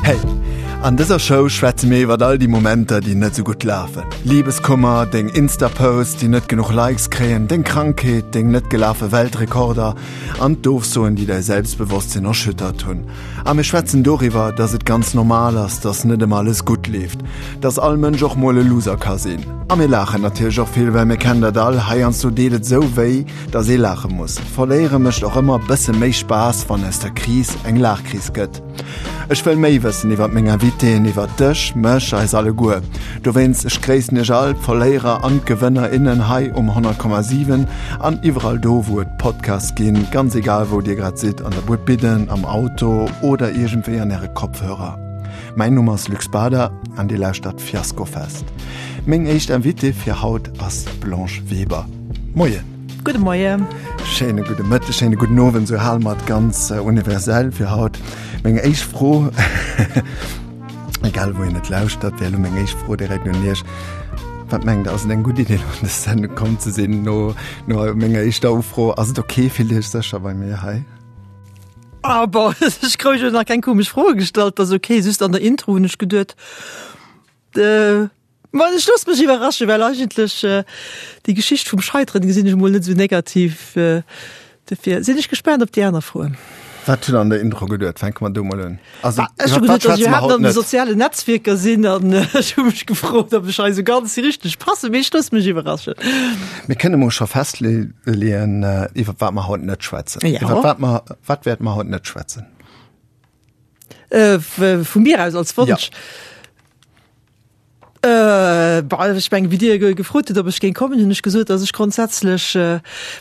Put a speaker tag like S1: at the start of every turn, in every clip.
S1: Hey! An dëser Show schwätze mir iwwer all déi Momenter, déi net sou gutt lafen. Libeskummer, deng Insta-Posts, déi net genuch Likes kréien, deng Krankheet, deng net gelafe Weltrekorder an d'Ofsoen, déi däi Selbstbewosstsinn erschüttert hunn. A mir schwätzen doriwwer, dass et ganz normal ass, dass net ëmmer alles gutt leeft, dass all Mënsch och mol e Loser ka sinn. A mir laachen natierlech och vill, well mir kennen dat all, heiansdo deet et sou wéi, dass ee laache muss. Verléiere mécht och ëmmer bësse méi Spaass, wann aus der Kris eng Laachkris gëtt. Ech wëll méi wëssen iwwert meng Invitéen, iwwert dech, mech, eis alleguer. Dowéinst, ech gréissen iech all, d'Verléierer an d'Gewënner, innen hei um 100,7 an iwwerall do, wou et Podcasts ginn, ganz egal wou dir grad sidd, an der Buedbidden, am Auto oder iergendwéi an äre Kopfhörer. Mäin Numm ass Luc Bader an dir lauschtert Fiaskofest. Meng éischt Invitée fir haut ass d'Blanche Weber. Moien!
S2: Gudde Moien.
S1: Schéine gudde Mëtteg, schéine gudden Owend, sou hale mer et ganz universell fir haut. Meng éischt Fro, egal wou een et lauschtert, wär elo meng éischt Fro direkt un Iech, Wat mengt Der, ass et eng gutt Idee, elo an dës Sendung komm ze sinn no, no menger éischter Ufro? Ass et ok? Fillt Dir Iech sécher bei mir hei?
S2: Ah bon, ech krou jo nach keng komesch Froe gestallt, ass ok. Just an der Intro hunn ech geduet, Ma ech loosse mech iwwerraschen, well eigentlech déi Geschicht vum Scheiteren gesinn ech emol net esou negativ. Dofir sinn ech gespaant op déi aner Froen.
S1: Wat hutt Der an der Intro geduet? Fänke mer do mol un.
S2: Also, ech hu geduet, datt ech iwwerhaapt an de sozialen Netzwierker sinn an ech hu mech gefrot, ob ech hei esou ganz richteg passen, mee ech loosse mech iwwerraschen.
S1: Mir kënne mol scho festleeën, iwwer wat mer haut net schwätzen. Iwwer wat mer, wat wäerte mer haut net schwätzen?
S2: Vu mir aus als Wonsch? Ja. Äh, bah, ech mengen, wéi Dir gefrot hutt, ob ech géing kommen, hunn ech gesot, dass ech grondsätzlech,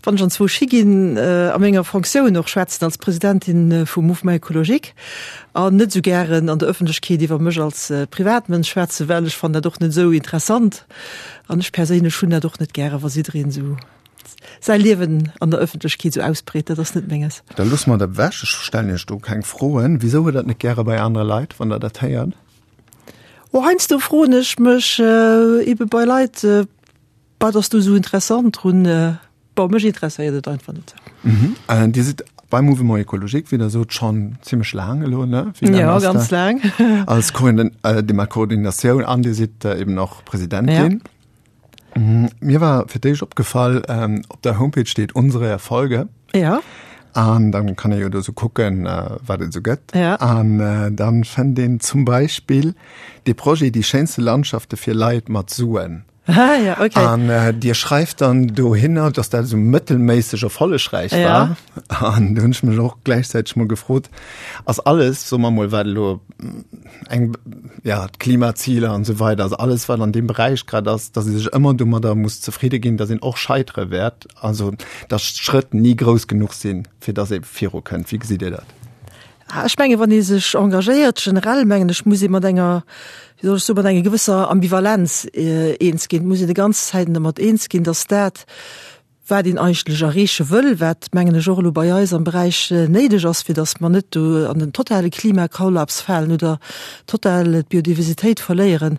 S2: wann ech anzwousch higinn, a menger Fonctioun och schwätzen als Presidentin vum Mouvement Écologique an net esou gären an der Ëffentlechkeet iwwer mech als Privatmënsch schwätzen, well ech fannen dat och net esou interessant an ech perséinlech hunn dat och net gären, wa jiddereen esou säi Liewen an der Ëffentlechkeet esou ausbreet. Dat ass net menges.
S1: Da loosse mer dat ewech. Ech stellen Iech do keng Froen. Wisou hutt Der dat net gäre bei anere Leit, wann Der dat héiert?
S2: Oh, heiansdo froen ech mech ebe bei Leit, wat ass do esou interessant drun? Bon, mech interesséiert et einfach net.
S1: Mhm. Dir sidd beim Mouvement Écologique, wéi Der sot, schonn zimmlech laang elo, ne?
S2: Wéi laang ass dat? Ja, ganz laang.
S1: Als Koordinatioun an Dir sidd eben och Presidentin. Ja. Mir war fir d'éischt opgefall, ähm, op der Homepage steet unsere Erfolge.
S2: Ja.
S1: An dann kann ee jo do sou kucken, äh, wat et sou gëtt.
S2: Ja.
S1: An äh, dann fënnt een zum Beispill de Projet Die schönste Landschaften fir Leit mat Suen.
S2: Ah, ja, okay.
S1: An äh, Dir schreift dann dohinner, dass dat sou mëttelméisseg erfollegräich
S2: ja.
S1: war. An do hunn ech mech och gläichzäiteg mol gefrot, ass alles, soe mer mol, wat elo eng ja d'Klimaziler an esou weider, also alles wat an deem Beräich grad ass, datt ee sech ëmmer domadder muss zefridde ginn, datt een och scheitere wäert, also datt d'Schrëtt ni grouss genuch sinn, fir datt ee viru kënnt. Wéi gesitt Dir dat?
S2: Ah, ech menge wann ee sech engagéiert, generell mengen ech, muss ee mat enger, wéi soll ech soen, mat enger gewësser Ambivalenz eens ginn, muss een déi ganz Zäiten dermat eens ginn, datt dat, wat een eigentlech erreeche wëll, wat, mengen ech, och elo bei eis am Beräich néideg ass, fir datt mer net do an den totale Klimakollaps falen oder total d'Biodiversitéit verléieren,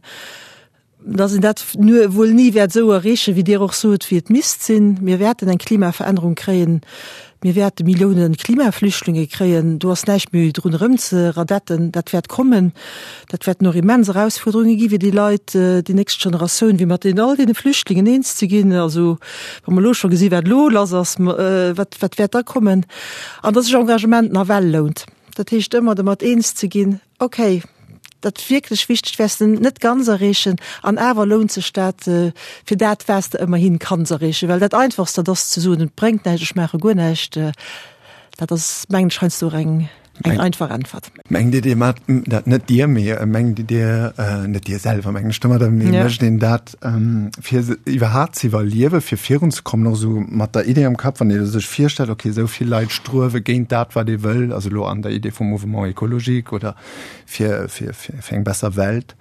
S2: datt een dat wuel ni wäert esou erreechen, wéi Dir och sot, wéi et misst sinn. Mir wäerten eng Klimaverännerung kréien. Mir wäerte Millioune Klimaflüchtlinge kréien. Do ass näischt méi drun erëmzeradetten. Dat wäert kommen. Dat wäerten och immens Erausfuerderunge gi fir déi Leit, déi nächst Generatioun, fir mat deenen all deene Flüchtlingen eens ze ginn. Also wa mer elo scho gesi wat elo lass ass, wat wat wäert da kommen? An datt sech Engagement nawell lount. Dat heescht ëmmer domat eens ze ginn, okay, dat wierklech Wichtegt wäers de net ganz erreechen an awer lount sech dat fir dat, wat s de ëmmerhin kanns erreechen. Well dat Einfachst, dat ass ze soen, et bréngt näischt, ech maache guer näischt. Dat ass, mengen ech, heiansdo och eng Eng einfach Äntwert.
S1: Mengt Dir, Dir maacht dat net Dir, mee mengt Dir, net Dir selwer mengen ech domadder, mee mécht een dat fir iwwerhaapt ze iwwerliewen, fir virunzekommen, och esou mat der Idee am Kapp, wann ee sech virstellt, okay, esou vill Leit struewe géint dat, wat ee wëll, also elo an der Idee vum Mouvement écologique oder fir, fir, fir eng besser Welt,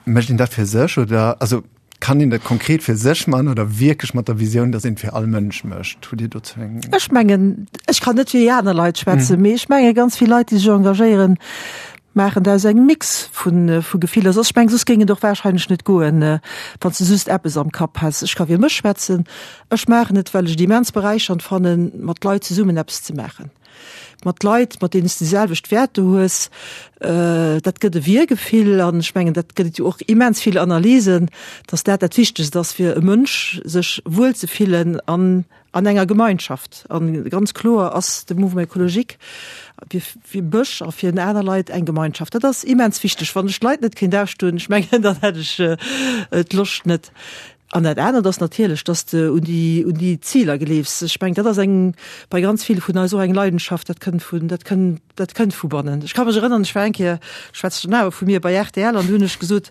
S1: mécht een dat fir sech oder, also Kann een dat konkret fir sech man oder wierklech mat der Visioun, datt een et fir all Mënsch mécht? Hutt Dir dozou
S2: eng? Ech mengen, ech kann net fir déi aner Leit schwätzen, mee ech menge ganz vill Leit, déi sech engagéieren, Maachen dat aus engem Mix vu Gefiller. Soss, ech mengen, soss géing et och warscheinlech net goen, wann s de just eppes am Kapp häss. Ech ka fir mech schwätzen, Ech maachen et, well ech et immens beräichernd fannen, mat Leit zesummen eppes ze maachen. Mat Leit, mat deenen s de déi selwecht Wäerter hues. Dat gëtt e Wir-Gefill an ech mengen, dat gëtt et jo och immens vill Analysen, datt dat dat Wichtegst ass fir e Mënsch, sech wuel ze fillen an an enger Gemeinschaft. An ganz kloer ass de Mouvement écologique fir fir mech a fir aner Leit eng Gemeinschaft. Dat ass immens wichteg. Wann ech d'Leit net kéint ausstoen, ech mengen, dann hätt ech d'Loscht net. An dat anert ass natierlech, dass de un déi, un déi Ziler gleefs. Ech mengen, dat ass eng, bei ganz ville vun eis och eng Leidenschaft, dat kënnt vun, dat kënnt, dat kënnt vu bannen. Ech ka mech erënnern, ech war eng Kéier, ech schwätze schon awer vu mir, bei rtl an do hunn ech gesot,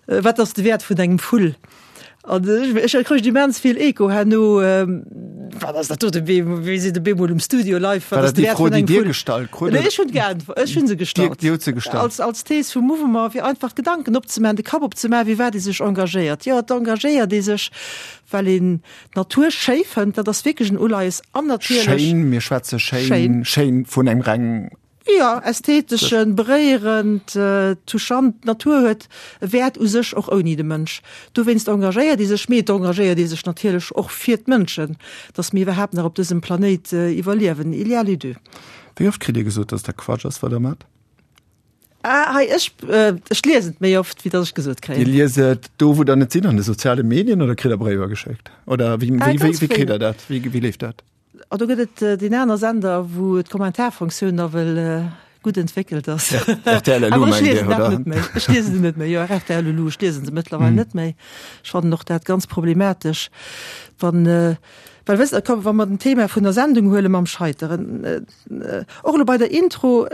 S2: Wat ass de Wäert vun engem Vull? An ech, ech krut immens vill Echo herno, Wat ass dat dote, wéi, wéi sinn de bemol um Studio live,
S1: wat ass de Wäert vun engem Vull? Gestallt
S2: krut? Nee, ech hunn geäntwert, ech hunn se gestallt.
S1: Dir hutt se gestallt.
S2: Als, als Thees vum Mouvement, fir einfach Gedanken opzemaachen, de Kapp opzemaachen, wéi wat ee sech engagéiert. Jo, et engagéiert ee sech, well een d'Natur schéi fënnt, dat ass wierklech en Uleies an natierlech.
S1: Schéin, mir schwätze schéin, schéin vun engem reng.
S2: Jo, ästheteschen, beréierend, touchant. D'Natur huet e Wäert u sech, och ouni de Mënsch. Dowéinst engagéiert ee sech, mee et engagéiert ee sech natierlech och fir d'Mënschen, datt mir iwwerhaapt nach op dësem Planéit iwwerliewen. Il y a les deux.
S1: Wéi oft kritt Dir gesot, datt dat Quatsch ass, wat Der maacht?
S2: Ah, hei, ech, ech liesen et méi oft, wéi datt ech gesot
S1: kréien. Dir liest et do, wou Der net sidd, an de soziale Medien, oder kritt Der Bréiwer geschéckt? Oder wéi, wéi, wéi kritt Der dat? Wéi, wéi leeft dat?
S2: A do gëtt et deen aner Sender, wou d'Kommentarfunktioun nawell gutt entwéckelt ass.
S1: RTL Elu
S2: mengt Dir, oder? Net méi. Ech liesen se net méi, jo, RTL Elu, ech liesen se mëttlerweil net méi. Ech fannen och dat ganz problematesch, wann, well wësst Der, komm, wa mer den Thema vun der Sendung huele mam Scheiteren, och elo bei der Intro,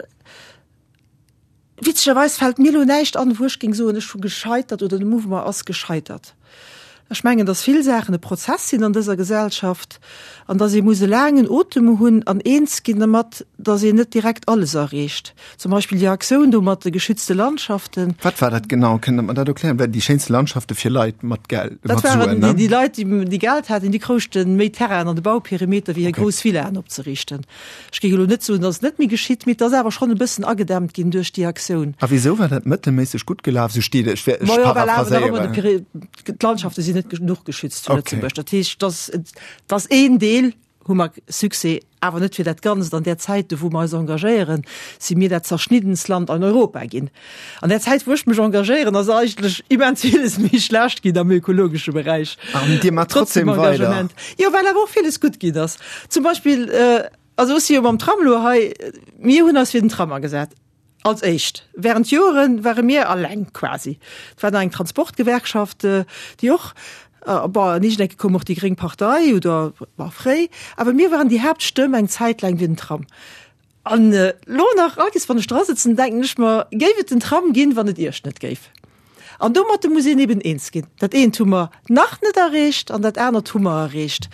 S2: Witzegerweis fält mir elo näischt an, wou ech géing soen, ech hu gescheitert oder de Mouvement ass gescheitert. Ech mengen, datt vill Saachen e Prozess sinn an dëser Gesellschaft an datt ee muss e laangen Otem hunn an eens ginn dermat, datt een net direkt alles erreecht. Zum Beispill déi Aktioun do mat de geschützte Landschaften.
S1: Wat war dat genau? Kënnt Der mer dat erklären? Well déi schéinste Landschafte fir Leit mat Geld,
S2: mat Suen, ne? Dat waren déi Leit, déi Geld haten, déi krouschten méi Terrainen an de Bauperimeter, fir hir grouss Villaen opzeriichten. Ech géing elo net soen, datt et net méi geschitt, mee et ass awer schonn e bëssen agedämmt ginn duerch déi Aktioun.
S1: A wisou war dat mëttelméisseg gutt gelaf? Sou steet et, ech ech
S2: Majo, well awer nach ëmmer de paraphraseieren. Peri-, d'Landschafte sinn net genuch geschützt zu
S1: Okay.
S2: Lëtzebuerg. Dat heescht, dass et, dass een Deel hu mer Succès, awer net fir dat Ganzt. An där Zäit, do wou mer eis engagéieren, si mir dat zerschniddenst Land an Europa ginn. An där Zäit, wou ech mech engagéieren, ass eigentlech immens villes méi schlecht ginn am ökologesche Beräich.
S1: An Dir maacht
S2: Trotz dem
S1: trotzdem weider?
S2: Engagement. Jo, well awer och villes gutt ginn ass. Zum Beispill, also ech si jo mam Tram elo hei, mir hunn eis fir den Tram agesat als éischt. Während Joren ware mir alleng quasi. Et war nach eng Transportgewerkschaft, déi och, bon, an iergend eng Kéier koum och déi gréng Partei oder, bon, fréi, awer mir waren déi Haaptstëmm eng Zäit laang fir den Tram. An elo nach, allkéiers wann ech dra sëtzen, denken ech mer, géif et den Tram ginn, wann et Iech net géif? An domatte muss een eben eens ginn. Dat eent hu mer nach net erreecht an dat anert hu mer erreecht.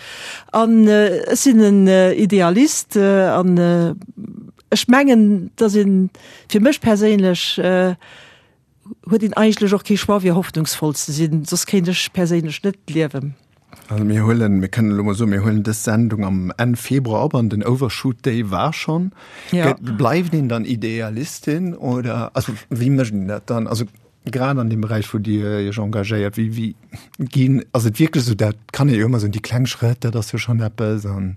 S2: An ech sinn en Idealist an ech mengen, dass een, fir mech perséinlech, huet een eigentlech och kee Choix wéi hoffnungsvoll ze sinn, soss kéint ech perséinlech net liewen.
S1: Also mir huelen, mir kënnen elo mol soen, mir huelen dës Sendung am Enn Februar op an den Overshoot Day war schonn.
S2: Ja.
S1: Bleift een dann Idealistin oder, also wéi mécht een dat dann? Also grad an deem Beräich wou Dir Iech engagéiert, wéi, wéi ginn, ass et wierklech esou, dat kann ee jo ëmmer soen, déi kleng Schrëtt, dat ass jo schonn eppes an.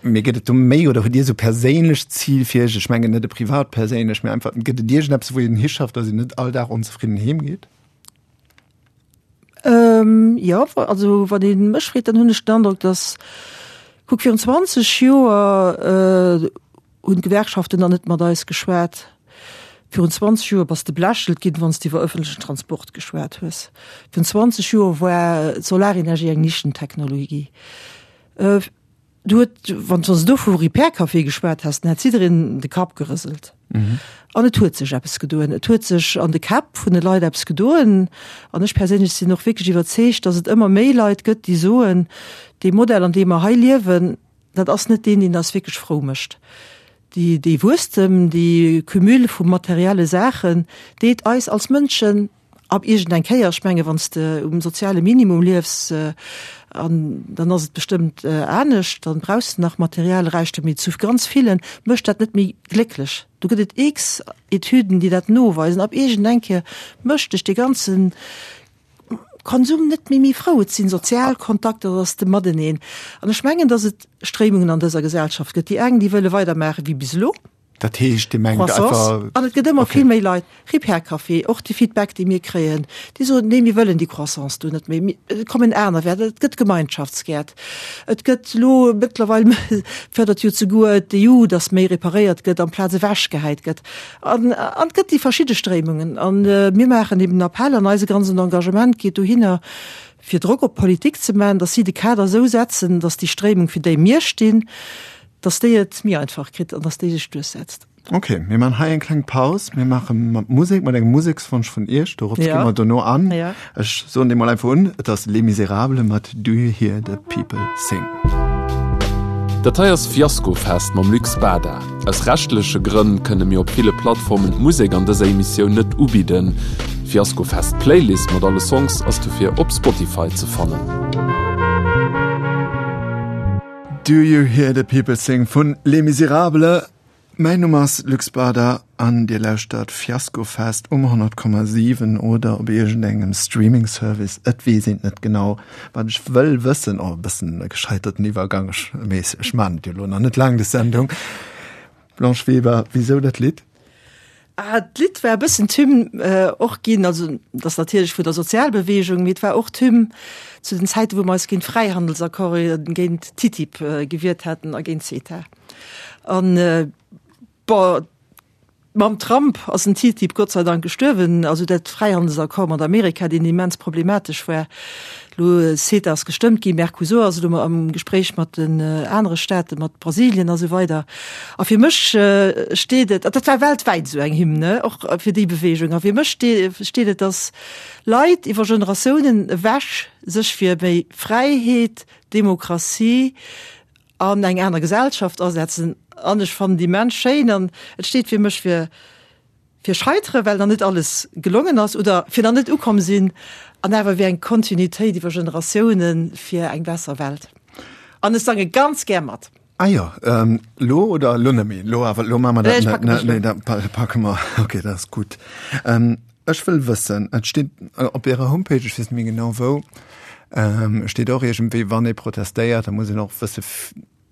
S1: Mee gëtt et do méi oder hutt Dir esou perséinlech Zil fir Iech? Ech mengen net e privat perséinlech, mee einfach, gëtt et iergendeppes, wou een hischafft, datt een net all Dag onzefridden heem geet?
S2: Ähm, jo, also wann ee mech freet, dann hunn ech den Androck, datt, kuck, virun 20 Joer hunn d'Gewerkschaften nach net mat eis geschwat. Virun 20 Joer bass de belächelt ginn, wann s de iwwer ëffentlechen Transport geschwat hues. Virun 20 Joer war d'Solarenergie eng Nischentechnologie. Du huet, wann s du vu Repair Café geschwat has, dann hätt jiddereen de Kapp gerëselt. An et huet sech eppes gedoen. Et huet sech an de Käpp vun de Leit eppes gedoen. An ech perséinlech sinn och wierklech iwwerzeegt, datt et ëmmer méi Leit gëtt, déi soen, dee Modell, an deem mer hei liewen, dat ass net deen, deen eis wierklech frou mécht. Déi, dee Wuesstem, dee Cumul vu materielle Saachen deet eis als Mënschen, Ab iergend eng Kéier, ech menge wann s de um soziale Minimum liefs. An dann ass et bestëmmt anescht, dann brauchs de nach materielle Räichtum, mee zu ganz villen mécht dat net méi glécklech. Do gëtt et x Etüden, déi dat noweisen. Ab iergend eng Kéier mécht dech dee ganze Konsum net méi méi frou. Et sinn sozial Kontakter, et ass de Mateneen. An ech mengen, datt et Stréimungen an dëser Gesellschaft gëtt. Déi eng, déi wëlle weidermaache wéi bis elo.
S1: Dat heescht, Dir mengt
S2: einfach. An et gëtt ëmmer vill méi Leit, Repair Café, och de Feedback, dee mir kréien, déi soen, nee, mir wëllen déi Croissants do net méi, et kommen aner Wäerter, et gëtt Gemeinschaftsgäert, et gëtt elo mëttlerweil fërdert jo zeguer d'EU, datt méi reparéiert gëtt amplaz ewechgehäit gëtt. An an et gëtt déi verschidde Stréimungen. An mir maachen eben en Appell an eise ganzen Engagement geet dohinner, fir Drock op d'Politik ze maachen, datt si de Kader esou setzen, datt déi Stréimung, fir déi mir stinn, Dass déi et méi einfach kritt an dass déi sech duerchsetzt.
S1: Ok, mir man hei eng kleng Paus. Mir maache mat Musek, mat engem Musekswonsch vun Iech. Dorops gi mer dono an.
S2: Ja.
S1: Ech soen dee mol einfach un. Et ass Les Misérables mat Do You Hear the People Sing?
S3: Dat hei ass Fiaskofest mam Luc Spada. Aus rechtleche Grënn kënne mir op ville Plattformen d'Musek an dëser Emissioun net ubidden. D'Fiaskofest Playlist mat alle Songs ass dofir op Spotify ze fannen.
S1: Do you hear the people sing vun Les Misérables. Mäin Numm ass Luc Spada an dir lauschtert Fiaskofest um 100,7 oder op iergendengem Streaming Service. Et weess een net genau. Wat ech wëll wëssen, oh e bëssen e gescheiterten Iwwergang, ech mee ech maan et jo elo nach net laang des Sendung. Blanche Weber, wisou dat Lidd?
S2: Ah, d'Lidd war e bëssen d'Hymn och ginn, also et ass natierlech vun der Sozialbeweegung, mee et war och d'Hymn zu den Zäiten, wou mer eis géint Fräihandelsaccorden, géint TTIP gewiert haten a géint CETA. An, bon, mam Trump ass den TTIP Gott sei Dank gestuerwen, also dat Fräihandelsaccord mat Amerika, deen immens problematesch war. Elo CETA ass gestëmmt ginn, Mercosur ass elo am Gespréich mat den anere Staaten, mat Brasilien a sou weider. A fir mech steet et, dat war weltwäit esou eng Hymne, och fir déi Beweegung, a fir mech steet et, datt Leit iwwer Generatiounen ewech sech fir méi Fräiheet, Demokratie an eng aner Gesellschaft asetzen. An ech fannen déi immens schéin an et steet fir mech fir fir scheitere well nach net alles gelongen ass oder fir nach net ukomm sinn an awer wéi eng Kontinuitéit iwwer Generatioune fir eng besser Welt. An ech sange ganz gär mat.
S1: Ah jo, lo oder lo net méi? Lo awer, lo maache mer dat net. Nee, dat packe mer. Okay, dat ass gutt. Ech wëll wëssen, et steet op Ärer Homepage, ech weess net méi genau wou, steet och iergendwéi, wann ee protestéiert, da muss een och wësse,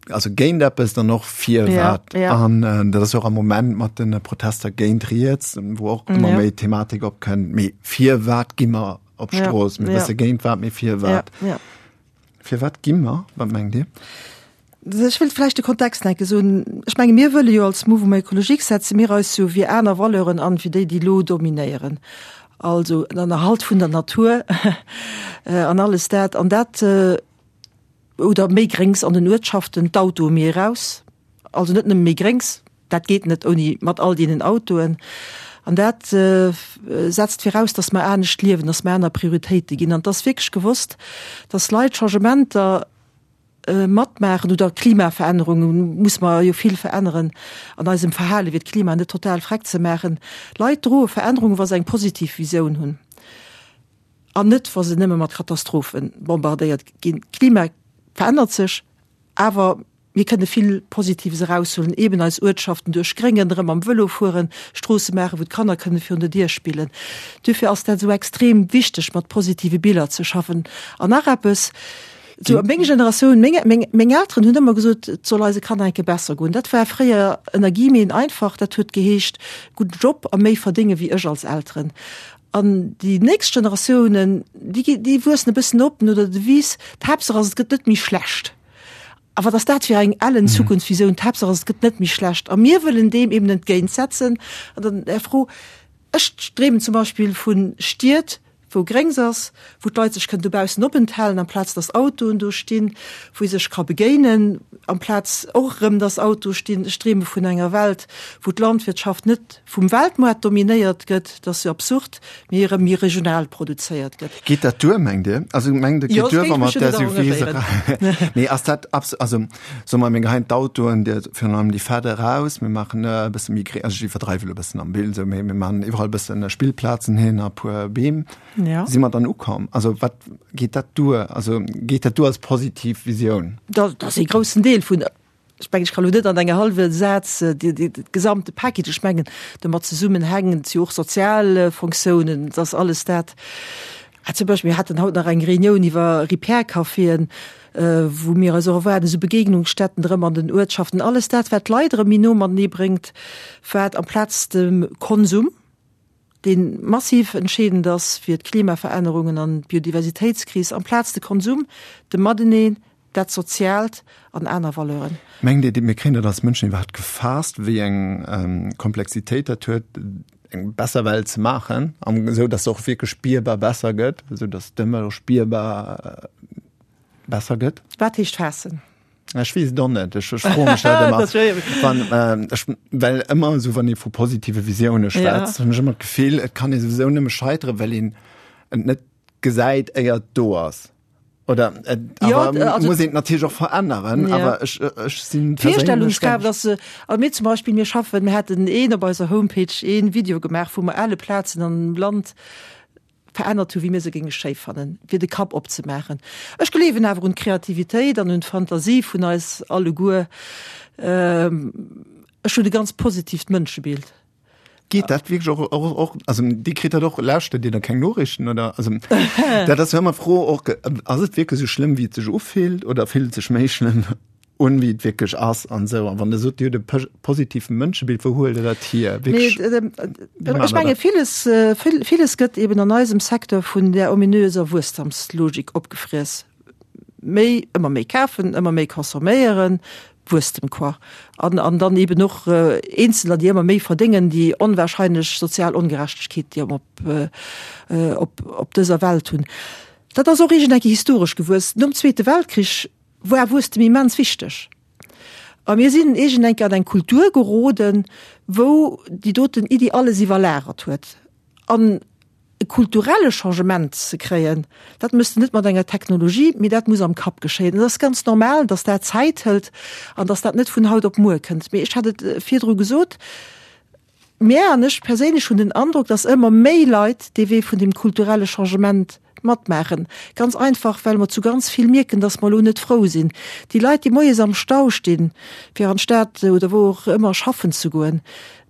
S1: also géint eppes, dann och fir wat.
S2: Ja, ja.
S1: An äh, dat ass och am Moment mat den Protester géint riets, wou och ëmmer
S2: ja.
S1: méi Thematik opkënnt. Mee fir wat gi mer op d'Strooss?
S2: Ja,
S1: Mir
S2: ja.
S1: wësse géint wat, mee fir wat?
S2: Ja, ja.
S1: Fir wat gi mer? Wat mengt Dir?
S2: Ech wëll vläicht de Kontext enke soen. Ech menge mir wëlle jo als Mouvement écologique setze mir eis jo fir aner Valeuren an, wéi déi, déi elo dominéieren. Also den Erhalt vun der Natur an alles dat. An dat Oder méi Gréngs an den Uertschaften, d'Autoe méi eraus. Also net nëmme méi Gréngs, dat geet net ouni mat all deenen Autoen. An dat setzt viraus, datt mer anescht liewen, datt mer aner Prioritéite ginn. An et ass wierklech gewosst, datt Leit Changementer matmaachen oder Klimaverännerungen, muss mer jo vill veränneren an eisem Verhale fir d'Klima net total freck ze maachen. Leit droe Verännerungen, wa se eng positiv Visioun hunn. An net, wa se nëmme mat Katastrophe bombardéiert ginn. D'Klima verännert sech, awer mir kënne vill Positives eraushuelen, eben eis Uertschaften duerchgréngen, erëm mam Vëlo fueren, Stroosse maachen, wou d'Kanner kënne virun der Dier spillen. Duerfir ass dat esou extrem wichteg, mat positive Biller ze schaffen. An nach eppes, Esou meng Generatioun, meng, meng, meng Elteren hunn ëmmer gesot, et soll eise Kanner enke besser goen. Dat war fréier ënner Guillemeten einfach, dat huet geheescht, gudden Job a méi verdénge wéi ech als Elteren. An déi nächst Generatiounen, déi, déi wuessen e bëssen op no der Devise, d'Haaptsaach ass, et gëtt net méi schlecht. A wat ass dat fir eng ellen Zukunftsvisioun? D'Haaptsaach ass, et gëtt net méi schlecht. A mir wëllen deem eben entgéintsetzen. An dann Är Fro, Ech dreemen zum Beispill vu Stied, wou Gréngs ass, wou d'Leit sech kënnen dobaussen openthalen, amplaz datt Autoen do stinn, wou ee sech ka begéinen, amplaz och erëm datt Autoe stinn. Ech dreeme vun enger Welt, wou d'Landwirtschaft net vum Weltmoart dominéiert gëtt, dat ass jo absurd, mee erëm méi regional produzéiert gëtt.
S1: Geet dat duer, mengt Dir? Also mengt Dir, et geet duer, wa mer d'SUVs era. Mee ass dat abs-, also soe mer, mir geheien d'Autoen, déi, virun allem déi fett eraus, mir maachen e bësse méi gréng, also ech iwwerdreiwe lo e bëssen am Bild, esou, mee mir maachen iwwerall e bëssen Spillplazen hin a puer Beem.
S2: Ja.
S1: Si mer dann ukomm? Also wat geet dat duer? Also geet dat duer als positiv Visioun?
S2: Dat ass ee groussen Deel vun, ech mengen, ech ka lo net an engem hallwe Saz de gesamte Package, ech mengen, domat zesummenhängend jo och sozial Fonctiounen, et ass alles dat. Zum Beispill, mir haten haut nach eng Reunioun iwwer Repair-Caféen, wou mir eis och erwaarden, esou Begegnungsstätten erëm an den Uertschaften, alles dat, wat d'Leit erëm méi no matenee bréngt, wat amplaz dem Konsum, dee massiv entscheedend ass fir d'Klimaverännerungen an d'Biodiversitéitskris, amplaz de Konsum, de Mateneen, dat Soziaalt an aner Valeuren.
S1: Mengt Dir, mir kréien dat als Mënschen iwwerhaapt gefaasst, wéi eng Komplexitéit dat huet, eng besser Welt ze maachen, esou datt se och wierklech spierbar besser gëtt, esou datt d'Ëmwelt och spierbar besser gëtt?
S2: Wat heescht faassen?
S1: Ech weess et och net. Ech, ech froe mech dat ëmmer. Wann, äh, ech, well ëmmer esou, wann ee vu positive Visioune schwätzt, ja. hunn ech ëmmer d'Gefill, et kann ee souwisou nëmme scheiteren, well een et net gesäit, éier et do ass. Oder et,
S2: ja,
S1: awer
S2: also,
S1: muss een et natierlech och veränneren,
S2: ja.
S1: awer ech, ech sinn
S2: D'Virstellungskraaft ass, also mir zum Beispill, mir schaffen, mir haten een op eiser Homepage een Video gemaach, wou mer ale Plazen am Land verännert hu wéi mir se géinge schéi fannen, fir de Kapp opzemaachen. Ech gleewen awer un d'Kreativitéit an un d'Fantasie vun eis alleguer. Ech hunn e ganz positiivt Mënschebild.
S1: Geet dat wierklech och, och, och, also Dir kritt dat och, lauschtert Dir da keng Noriichten oder, also dat ass jo ëmmer d'Fro och, ass et wierklech esou schlëmm wéi et sech ufillt oder fillt et sech méi schlëmm un wéi et wierklech ass an esou. An wann Der sot, Dir hutt e positiivt Mënschebild, wou huelt Der dat hier?
S2: Wierklech, wéi maacht
S1: Der
S2: Ech menge
S1: dat?
S2: villes, villes gëtt eben an eisem Secteur vun där ominöser Wuesstemslogik opgefriess. Méi, ëmmer méi kafen, ëmmer méi consomméieren, Wuesstem quoi. An, an dann eben och Eenzeler, déi ëmmer méi verdéngen, déi onwahrscheinlech sozial Ongerechtegkeet, déi mer op, op, op dëser Welt hunn. Dat ass och iergend eng Kéier historesch gewuess. Nom Zweete Weltkrich war Wuesstem immens wichteg. A mir sinn iergend eng Kéier an eng Kultur geroden, wou déi doten Iddi alles iwwerlagert huet. An e kulturelle Changement ze kréien, dat méchs de net mat enger Technologie, mee dat muss am Kapp geschéien. Et ass ganz normal, datt dat Zäit hëlt an datt dat net vun haut op muer kënnt. Mee ech hat et virdru gesot, Mär an ech perséinlech hunn den Androck, datt ëmmer méi Leit dee Wee vun dem kulturelle Changement matmaachen. Ganz einfach, well mer zu ganz vill mierken, datt mer elo net frou sinn. Déi Leit, déi moies am Stau stinn, fir an d'Stad oder wou och ëmmer schaffen ze goen,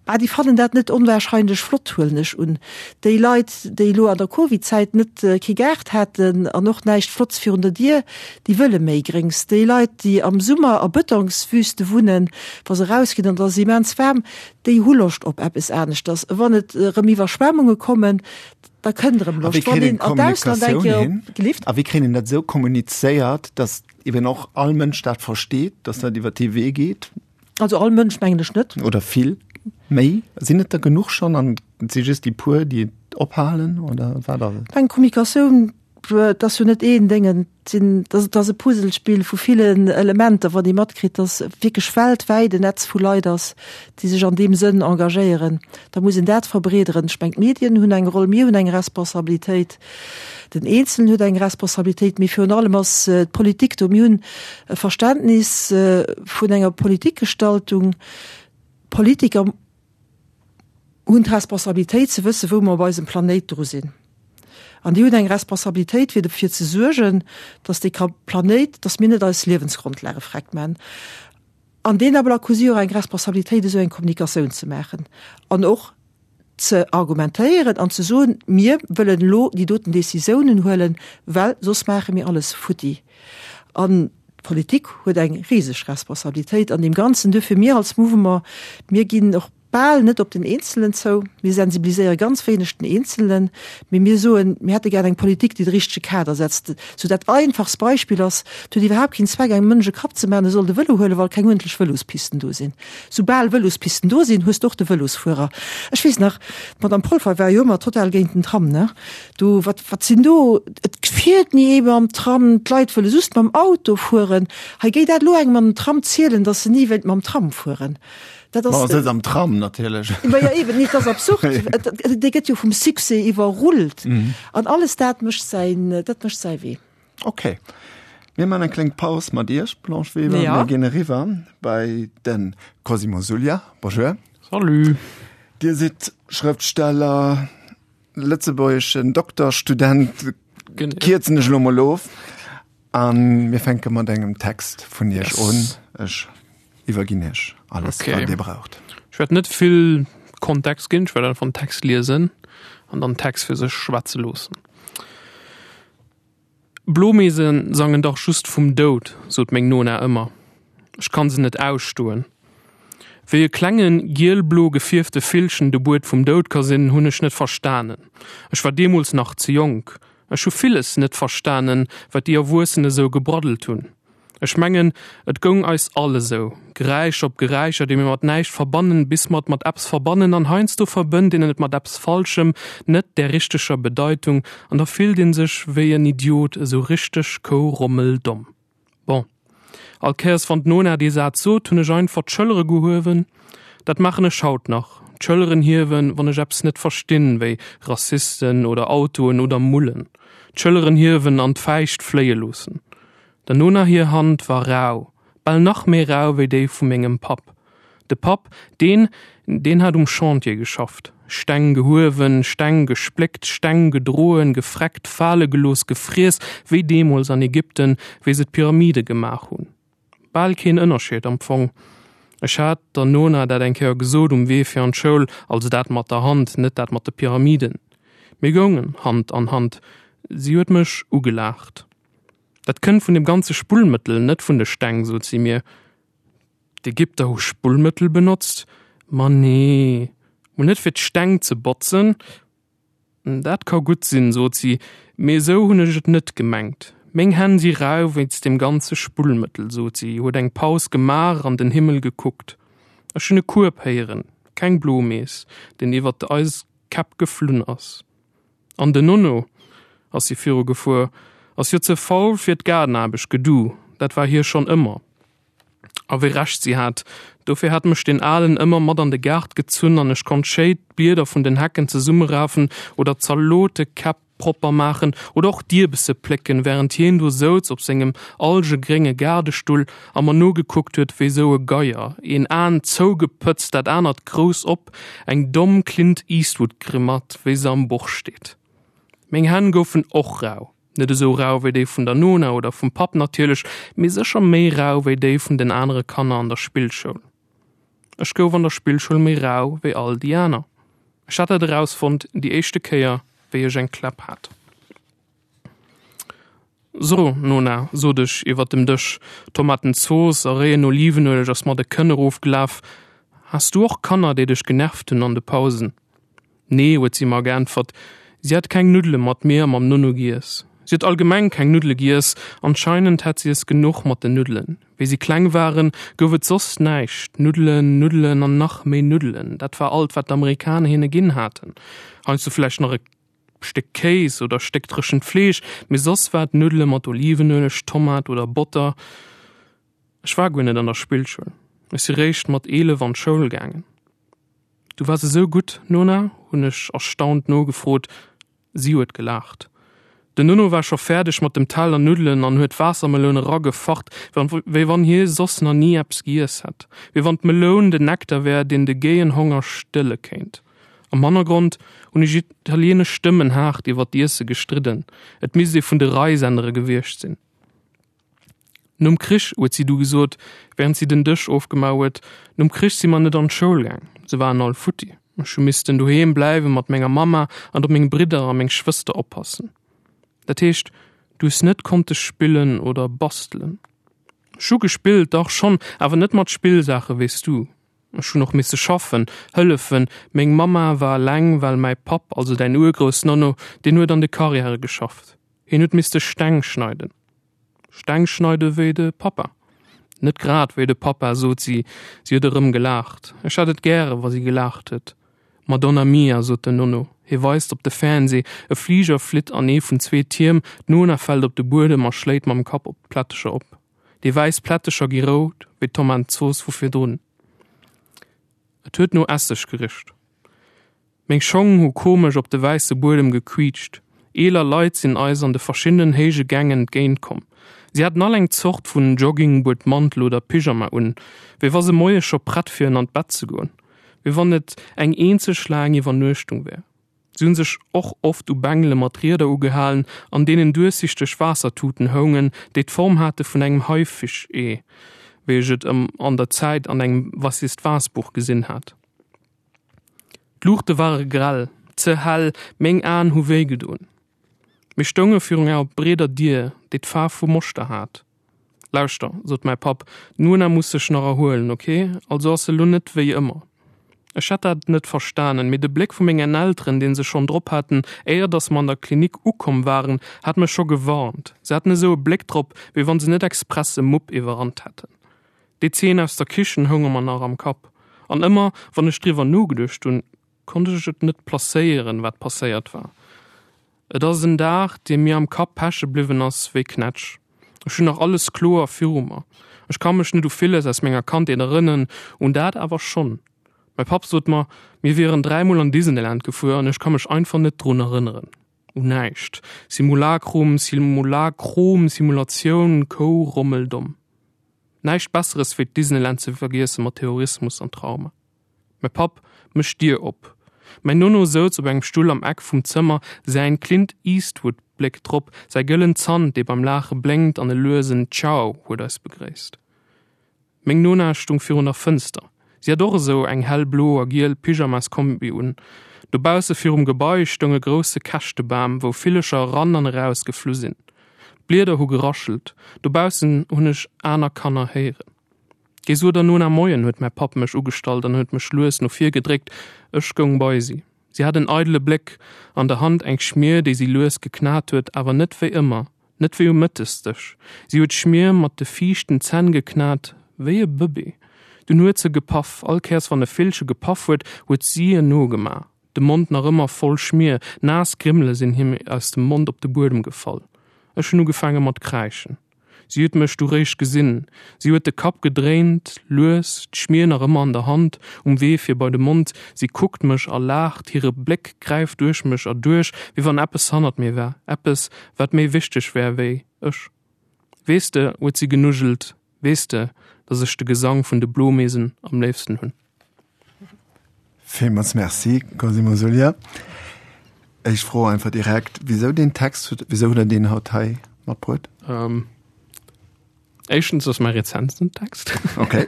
S2: bah, déi fannen dat net onwahrscheinlech flott, huelen ech un. Déi Leit, déi elo an der Covid-Zäit net kee Gaart haten an och näischt Flotts virun der Dier, déi wëlle méi Gréngs. Déi Leit, déi am Summer a Bëtongswüste wunnen, wa se erausginn an et ass immens waarm, déi hu Loscht op eppes aneschters. Wann et erëm Iwwerschwemmunge kommen, da kënnt erëm
S1: A wéi
S2: Loscht. Wann
S1: kritt een
S2: een an d'Ausland eng
S1: d'Kommunikatioun
S2: Kéier
S1: hin?
S2: op gelift.
S1: A wéi kritt een dat esou kommunizéiert, datt eben och all Mënsch dat versteet, datt dat iwwer dee Wee geet?
S2: Also all Mënsch mengen ech net.
S1: Oder vill méi? Sinn et der genuch schonn an et si just déi puer, déi et ophalen oder wat ass et?
S2: Eng Kommunikatioun, et ass jo net een Déngen, et sinn, et ass e Puzzlespill vu villen Elementer, wann ee matkritt, datt wierklech weltwäit en Netz vu Leit ass, déi sech an deem Sënn engagéieren, da muss een dat verbreederen. Ech mengen, d'Medien hunn eng Roll, mir hunn eng Responsabilitéit, den Eenzelen huet eng Responsabilitéit, mee virun allem ass d'Politik do. Mir hunn e Verständnis vun enger Politikgestaltung. D'Politiker hunn d'Responsabilitéit ze wëssen, wou mer op eisem Planéit dru sinn. An déi hunn eng Responsabilitéit fir dofir ze suergen, datt dee Planéit, datt mir net eis Liewensgrondlage vreckt man. An deen Ablack hu si och eng Responsabilitéit esou eng Kommunikatioun ze maachen an och ze argumentéieren an ze soen, mir wëllen elo déi doten Décisiounen huelen, well soss maache mir alles futti. An d'Politik huet eng riseg Responsabilitéit an deem Ganzen. Duerfir mir als Mouvement, mir ginn och bal net op den Eenzelen zou, mir sensibiliséiere ganz wéineg den Eenzelen, mee mir soen, mir hätte gär eng Politik, déi de richtege Kader setzt. Sou dat einfachst Beispill ass, et huet iwwerhaapt keen Zweck engem Mënsch e Kapp ze maachen, e soll de Vëlo huelen, well keng uerdentlech Vëlospisten do sinn. Soubal Vëlospisten do sinn, hues de och de Vëlosfuerer. Ech weess nach, d'Madame Polfer war jo ëmmer total géint den Tram, ne? Do, wat, wat sinn do, et fiert ni ee mam Tram, d'Leit wëlle just mam Auto fueren. Hei géi dat elo engem an den Tram zielen, datt se ni wéilt mam Tram fueren.
S1: Dat ass. Ma sëtz am Tram natierlech.
S2: Ma jo eben, nee, et ass absurd. Dee gëtt jo vum Succès iwwerrullt. An alles dat mécht säin, dat mécht säi Wee.
S1: Ok. Mir man eng kleng Paus mat Iech, Blanche Weber.
S2: Ja.
S1: Mir ginn eriwwer bei de Cosimo Zulia. Bonjour.
S3: Salut.
S1: Dir sidd Schrëftsteller. lëtzebuergeschen Dokterstudent kierzen ech elo mol of. A mir fänke mat engem Text vun Iech un. Ech iwwerginn Iech alles, wat Dir braucht.
S4: Ech wäert net vill Kontext ginn, ech wäert einfach den Text liesen an dann den Text fir sech schwätze loossen. Blomeese sangen dach just vum Doud, sot meng Nona ëmmer. Ech kann se net ausstoen. Wéi e klengen, giel-blo gefierfte Villchen de Buet vum Doud ka sinn, hunn ech net verstanen. Ech war deemools nach ze jonk. Ech hu villes net verstanen, wat déi Erwuessen esou gebraddelt hunn. Ech mengen, et goung eis all esou, Geräischer op Geräischer, déi mir mat näischt verbannen, bis mer et mat eppes verbannen, an heiansdo verbënnt een et mat eppes Falschem, net där richteger Bedeitung, an da fillt ee sech wéi en Idiot, esou richteg kourommeldomm. Bon, all Kéiers wann d'Nona dee Saz sot, hunn ech einfach d'Schëllere gehuewen. Dat maachen ech haut nach, d'Schëlleren hiewen, wann ech eppes net verstinn, wéi Rassisten oder Autoen oder Mullen. D'Schëlleren hiewen an d'Fäischt fléie loossen. Der Nona hir Hand war rau, bal nach méi rau wéi déi vu mengem Papp. De Papp, deen, deen hat um Chantier geschafft, Steng gehuewen, Steng gespléckt, Steng gedroen, gefreckt, fale gelooss, gefriess, wéi deemools an Ägypten, wéi se d'Pyramide gemaach hunn. Bal keen Ënnerscheed am Fong. Ech hat der Nona dat eng Kéier gesot um Wee fir an d'Schoul, also dat mat der Hand, net dat mat de Pyramiden. Mir goungen Hand an Hand. Si huet mech ugelaacht. Dat kënnt vun dem ganze Spullmëttel, net vun de Steng, sot si mir. D'Ägypter hu Spullmëttel benotzt? Ma nee, mol net fir d'Steng ze botzen. Dat ka gutt sinn, sot si, mee esou hunn ech et net gemengt. Meng Hänn si rau wéinst deem ganze Spullmëttel, sot si, huet eng Paus gemaach an den Himmel gekuckt. Ech hunn e Kueb héieren, keng Blomees, deen iwwert eis Käpp geflunn ass. An den Nonno, ass si viru gefuer, ass jo ze faul fir d'Gaardenaarbecht, gedu, dat war hie schonn ëmmer. A wéi Recht si hat, dofir hat mech deen Alen ëmmer mat an de Gaart gezunn an ech konnt schéi d'Blieder vun den Hecken zesummerafen oder d'Zalotekäpp propper maachen oder och d'Ierbesse plécken, wärend hien do souz op sengem algegrénge Gaardestull a mer nogekuckt huet wéi sou e Geier, een Aen zougepëtzt, dat anert grouss op. Eng domm Clint Eastwood-Grimatt, wéi se am Buch steet. Meng Hänn goufen och rau. Net esou rau wéi déi vun der Nona oder vum Papp natierlech, mee sécher méi rau wéi déi vun den anere Kanner an der Spillschoul. Ech gouf an der Spillschoul méi rau wéi all déi aner. Ech hat dat erausfonnt déi éischte Kéier, wéi ech eng Kläpp hat. So, Nona, sot ech iwwer dem Dësch, Tomatenzooss a réien Olivenueleg ass mer de Kënn erofgelaf, has du och Kanner, déi dech genervt hunn an de Pausen? Nee, huet si mer geäntwert, si hätt keng Nuddele mat mir a mam Nonno giess. Si huet allgemeng keng Nuddele giess, anscheinend hätt si es genuch mat den Nuddelen. Wéi si kleng waren, gouf et soss näischt, Nuddelen, Nuddelen an nach méi Nuddelen, dat war alt, wat d'Amerikaner hinne ginn haten. Heiansdo vläicht nach e Stéck Kéis oder Stéck dréchent Fleesch, mee soss war et Nuddele mat Olivenueleg, Tomat oder Botter. Ech war guer net an der Spillschoul, ech si réischt mat 11 an d'Schoul gaangen. Du waars esou gutt, Nona? hunn ech erstaunt nogefrot. Si huet gelaacht. Den Nono war scho fäerdeg mat dem Teller Nuddelen an huet Waassermeloun eragefacht, wéi wann hie soss na ni eppes giess hätt, wéi wann d'Meloun den Nektar wär, deen de géien Honger stëlle kéint. Am Hannergrond hunn ech italieenesch Stëmmen haart iwwer d'Iesse gestridden, et misst ee vun de Raisendere gewiescht sinn. Nom Krich, huet si du gesot, wärend si den Dësch ofgemaach huet, nom Krich si mer net an d'Schoul gaang, se waren all futti. Ech hu missten doheem bläiwe mat menger Mamma an op meng Bridder a meng Schwëster oppassen. Dat heescht, du hues net konnte spillen oder bastelen? Ech hu gespillt, dach schonn, awer net mat Spillsaache wéi s du. Ech hunn och misse schaffen, hëllefen. Meng Mamma war eleng, well mäi Papp, also däin Urgroussnonno, deen huet an de Carrièrë geschafft. Hien huet misste Steng schneiden. Steng schneide wéi de Pappa. Net grad wéi de Pappa, sot si. Si huet erëm gelaacht. Ech hat et gäre, wa si gelaacht huet. Madonna mia, sot den Nonno. Hie weist op de Fernseh. E Fliger flitt an ee vun zwee Tierm. D'Nona fält op de Buedem a schléit mam Kapp op d'Plättecher op. Déi wäiss Plättecher gi rout wéi d'Tomatenzooss vu virdrun. Et huet no Esseg gericht. Meng Schong hu komesch op de wäisse Buedem gequiitscht. Eeler Leit sinn eis an de verschiddenen héije Gäng entgéint komm. Si haten all eng Zort vun Joggingbuet, Mantel oder Pyjama un, wéi wa se moies scho prett wieren an d'Bett ze goen, wéi wann et eng eenzeg laang Iwwernuechtung wär. Si hunn sech och oft u Bengele mat Rieder ugehalen, an deenen duerchsichteg Waassertuten houngen, déi d'Form hate vun engem Haifischee, wéi ech et an der Zäit an engem Was-ist-was-Buch gesinn hat. D'Luuchte ware grell, ze hell, meng Aen hu wéi gedoen. Mir stounge virun enger breeder Dier, déi d'Faarf vu Moschter hat. Lauschter, sot mäi Papp, d'Nona muss sech nach erhuelen, ok? Also ass se lo net wéi ëmmer. Ech hätt dat net verstanen, mee de Bléck vu mengen Elteren, dee se schonn drop haten, éier datt mer an der Klinik ukomm waren, hat mech scho gewarnt. Se haten esou e Bléck drop, wéi wann se net express e Mupp iwwerrannt hätten. Déi Zeen aus der Kichen hounge mer nach am Kapp. An ëmmer, wann ech driwwer nogeduecht hunn, konnt ech et net placéieren, wat passéiert war. Et ass en Dag, dee mir am Kapp peche bliwwen ass wéi Knätsch. Ech hunn nach alles kloer viru mer. Ech ka mech net u villes aus menger Kandheet erënnen, un dat awer schonn. Mäi Papp sot mer, mir wieren dräimol an Disneyland gefuer an ech ka mech einfach net drun erënneren. Un näischt. Simulacrum, Simulacrum, Simulatioun, Kou, Rommel, domm. Näischt Besseres wéi d'Disneyland ze vergiesse mat Terrorismus an Trauma. Mäi Papp mécht d'Dier op. Mäin Nono souz op engem Stull am Eck vum Zëmmer, säin Clint Eastwood-Bléck drop, säi gëllen Zant, dee beim Laache blénkt, an e luesen Ciao huet eis begréisst. Meng Nona stung virun der Fënster. Si hat och esou eng hellblo a giel Pyjamaskombi un. Dobausse virum Gebai stoung e grousse Käschtebam, wou Villecher eran an eraus geflu sinn. D'Blieder hu geraschelt. Dobaussen hunn ech aner Kanner héieren. Géi so der Nona Moien, huet mäi Papp mech ugestallt an huet mech lues no vir gedréckt. Ech goung bei si. Si hat en eidele Bléck, an der Hand eng Schmier, déi si lues geknat huet, awer net wéi ëmmer, net wéi um Mëttesdësch. Si huet d'Schmier mat de fiichten Zänn geknat, wéi e Bëbee. Dunn huet se gepaff. All Kéiers wann e Villche gepaff huet, huet si en nogemaach, de Mond nach ëmmer voll Schmier. Naass Grimmele sinn him aus dem Mond op de Buedem gefall. Ech hunn ugefaange mat kräischen. Si huet mech du réischt gesinn. Si huet de Kapp gedréint, lues, d'Schmier nach ëmmer an der Hand, um Wee fir bei de Mond. Si kuckt mech a laacht. Hire Bléck gräift duerch mech erduerch, wéi wann eppes hannert mir war, eppes, wat méi wichteg wär wéi ech. Weess de, huet si genugelt, weess de, datt ech de Gesang vun de Blomeesen am léifsten hunn?
S1: Villmools Merci, Cosimo Zulia. Éischt Fro einfach direkt, Wisou deen Text? Wisou hutt Der deen haut hei matbruet?
S4: Ähm, éischtens ass mäi rezentsten Text.
S1: Okay.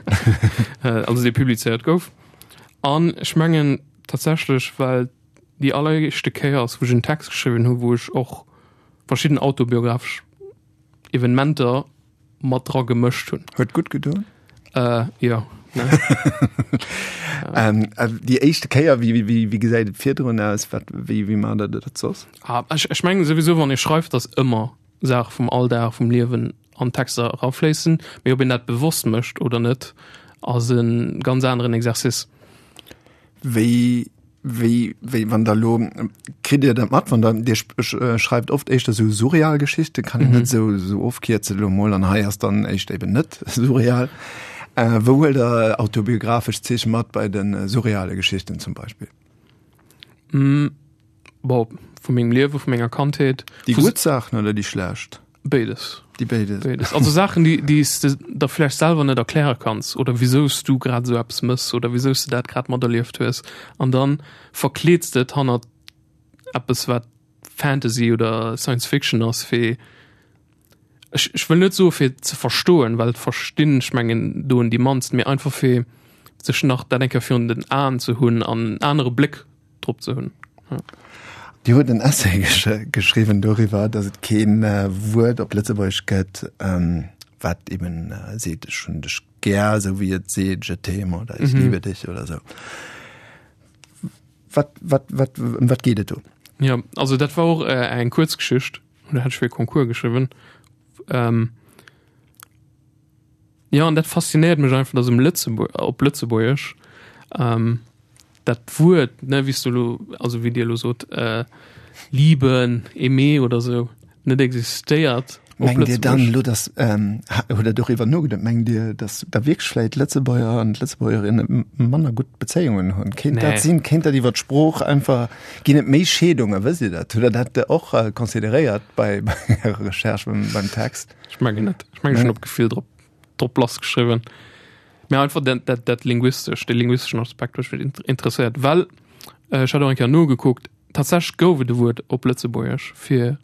S4: also dee publizéiert gouf. An ech mengen tatsächlech, well déi alleréischte Kéier ass, wou ech en Text geschriwwen hu wou ech och verschidden autobiographesch Evenementer mat dra gemëscht hunn.
S1: Huet gutt gedoen?
S4: Äh, jo. Ne?
S1: ähm, äh, déi éischte Kéier, wéi, wéi, wéi gesäit et virdrun aus? Wat, wéi, wéi maacht der dat soss?
S4: Ah, ech, ech mengen souwisou, wann ee schreift, dass ëmmer Saache vum Alldag, vum Liewen an Texter erafléissen. Mee ob een dat bewosst mécht oder net, ass e ganz aneren Exercice.
S1: Wéi, wéi, wéi, wann der lo, kritt Dir dat mat, wann der, Dir schreift oft éischter sou surreal Geschichten, kann een net sou, sou ofkierzen elo mol, an hei ass dann éischter eben net surreal. Wou huelt Der autobiographesch Zich mat bei de surreale Geschichten zum Beispill?
S4: Bon, vu mengem Liewen, vu menger Kandheet.
S1: Déi gutt Saachen oder déi schlecht?
S4: Béides.
S1: Déi béides.
S4: Béides. Also Saachen, déi, déi s de der vläicht selwer net erkläre kanns oder wisou s du grad esou eppes mëss oder wisou s de dat grad materlieft hues. An dann verkleeds de et hannert eppes, wat Fantasy oder Science Fiction ass, fir, ech, ech wëll net soe fir ze verstoen, well verstinn, ech mengen, doen déi mannst, mee einfach fir sech nach dat eng Kéier virun den Aen ze hunn an en anere Bléck drop ze hunn.
S1: Ja. Dir hutt en Essay geschriwwen doriwwer, datt et keen Wuert op Lëtzebuergesch gëtt, wat eben seet, ech hunn dech gär, esou wéi et seet, je t'aime oder ich liebe dich oder esou. Wat, wat, wat, ëm wat geet et do?
S4: Ja, also dat war och eng Kuerzgeschicht, oder hat ech fir e Concours geschriwwen. Jo, an dat faszinéiert mech einfach, dass um Lëtzebuer op Lëtzebuergesch ähm, dat Wuert, ne, wéi s du elo, also wéi Dir elo sot, äh, lieben, aimer oder sou, net existéiert
S1: op Mengt Dir dann Lëtzebuergesch. elo, dass, ähm, hutt Der doriwwer nogeduet, mengt Dir, dass da wierklech vläicht Lëtzebuerger an d'Lëtzebuergerinne manner gutt Bezéiungen hunn? Kéint dat Nee. sinn? Kéint dat iwwer d'Sprooch einfach, ginn et méi Scheedungen, wësst Dir dat? Hutt Der dat och consideréiert bei, bei Ärer Recherche beim, beim Text?
S4: Ech mengen net. Ech mengen, ech hunn op Gefill drop, drop lass geschriwwen. Mä einfach dat, dat, dat linguistesch, de linguisteschen Aspekt huet mech interesséiert, well äh, ech hat och eng Kéier nogekuckt, Tatsächlech gouf et e Wuert op Lëtzebuergesch fir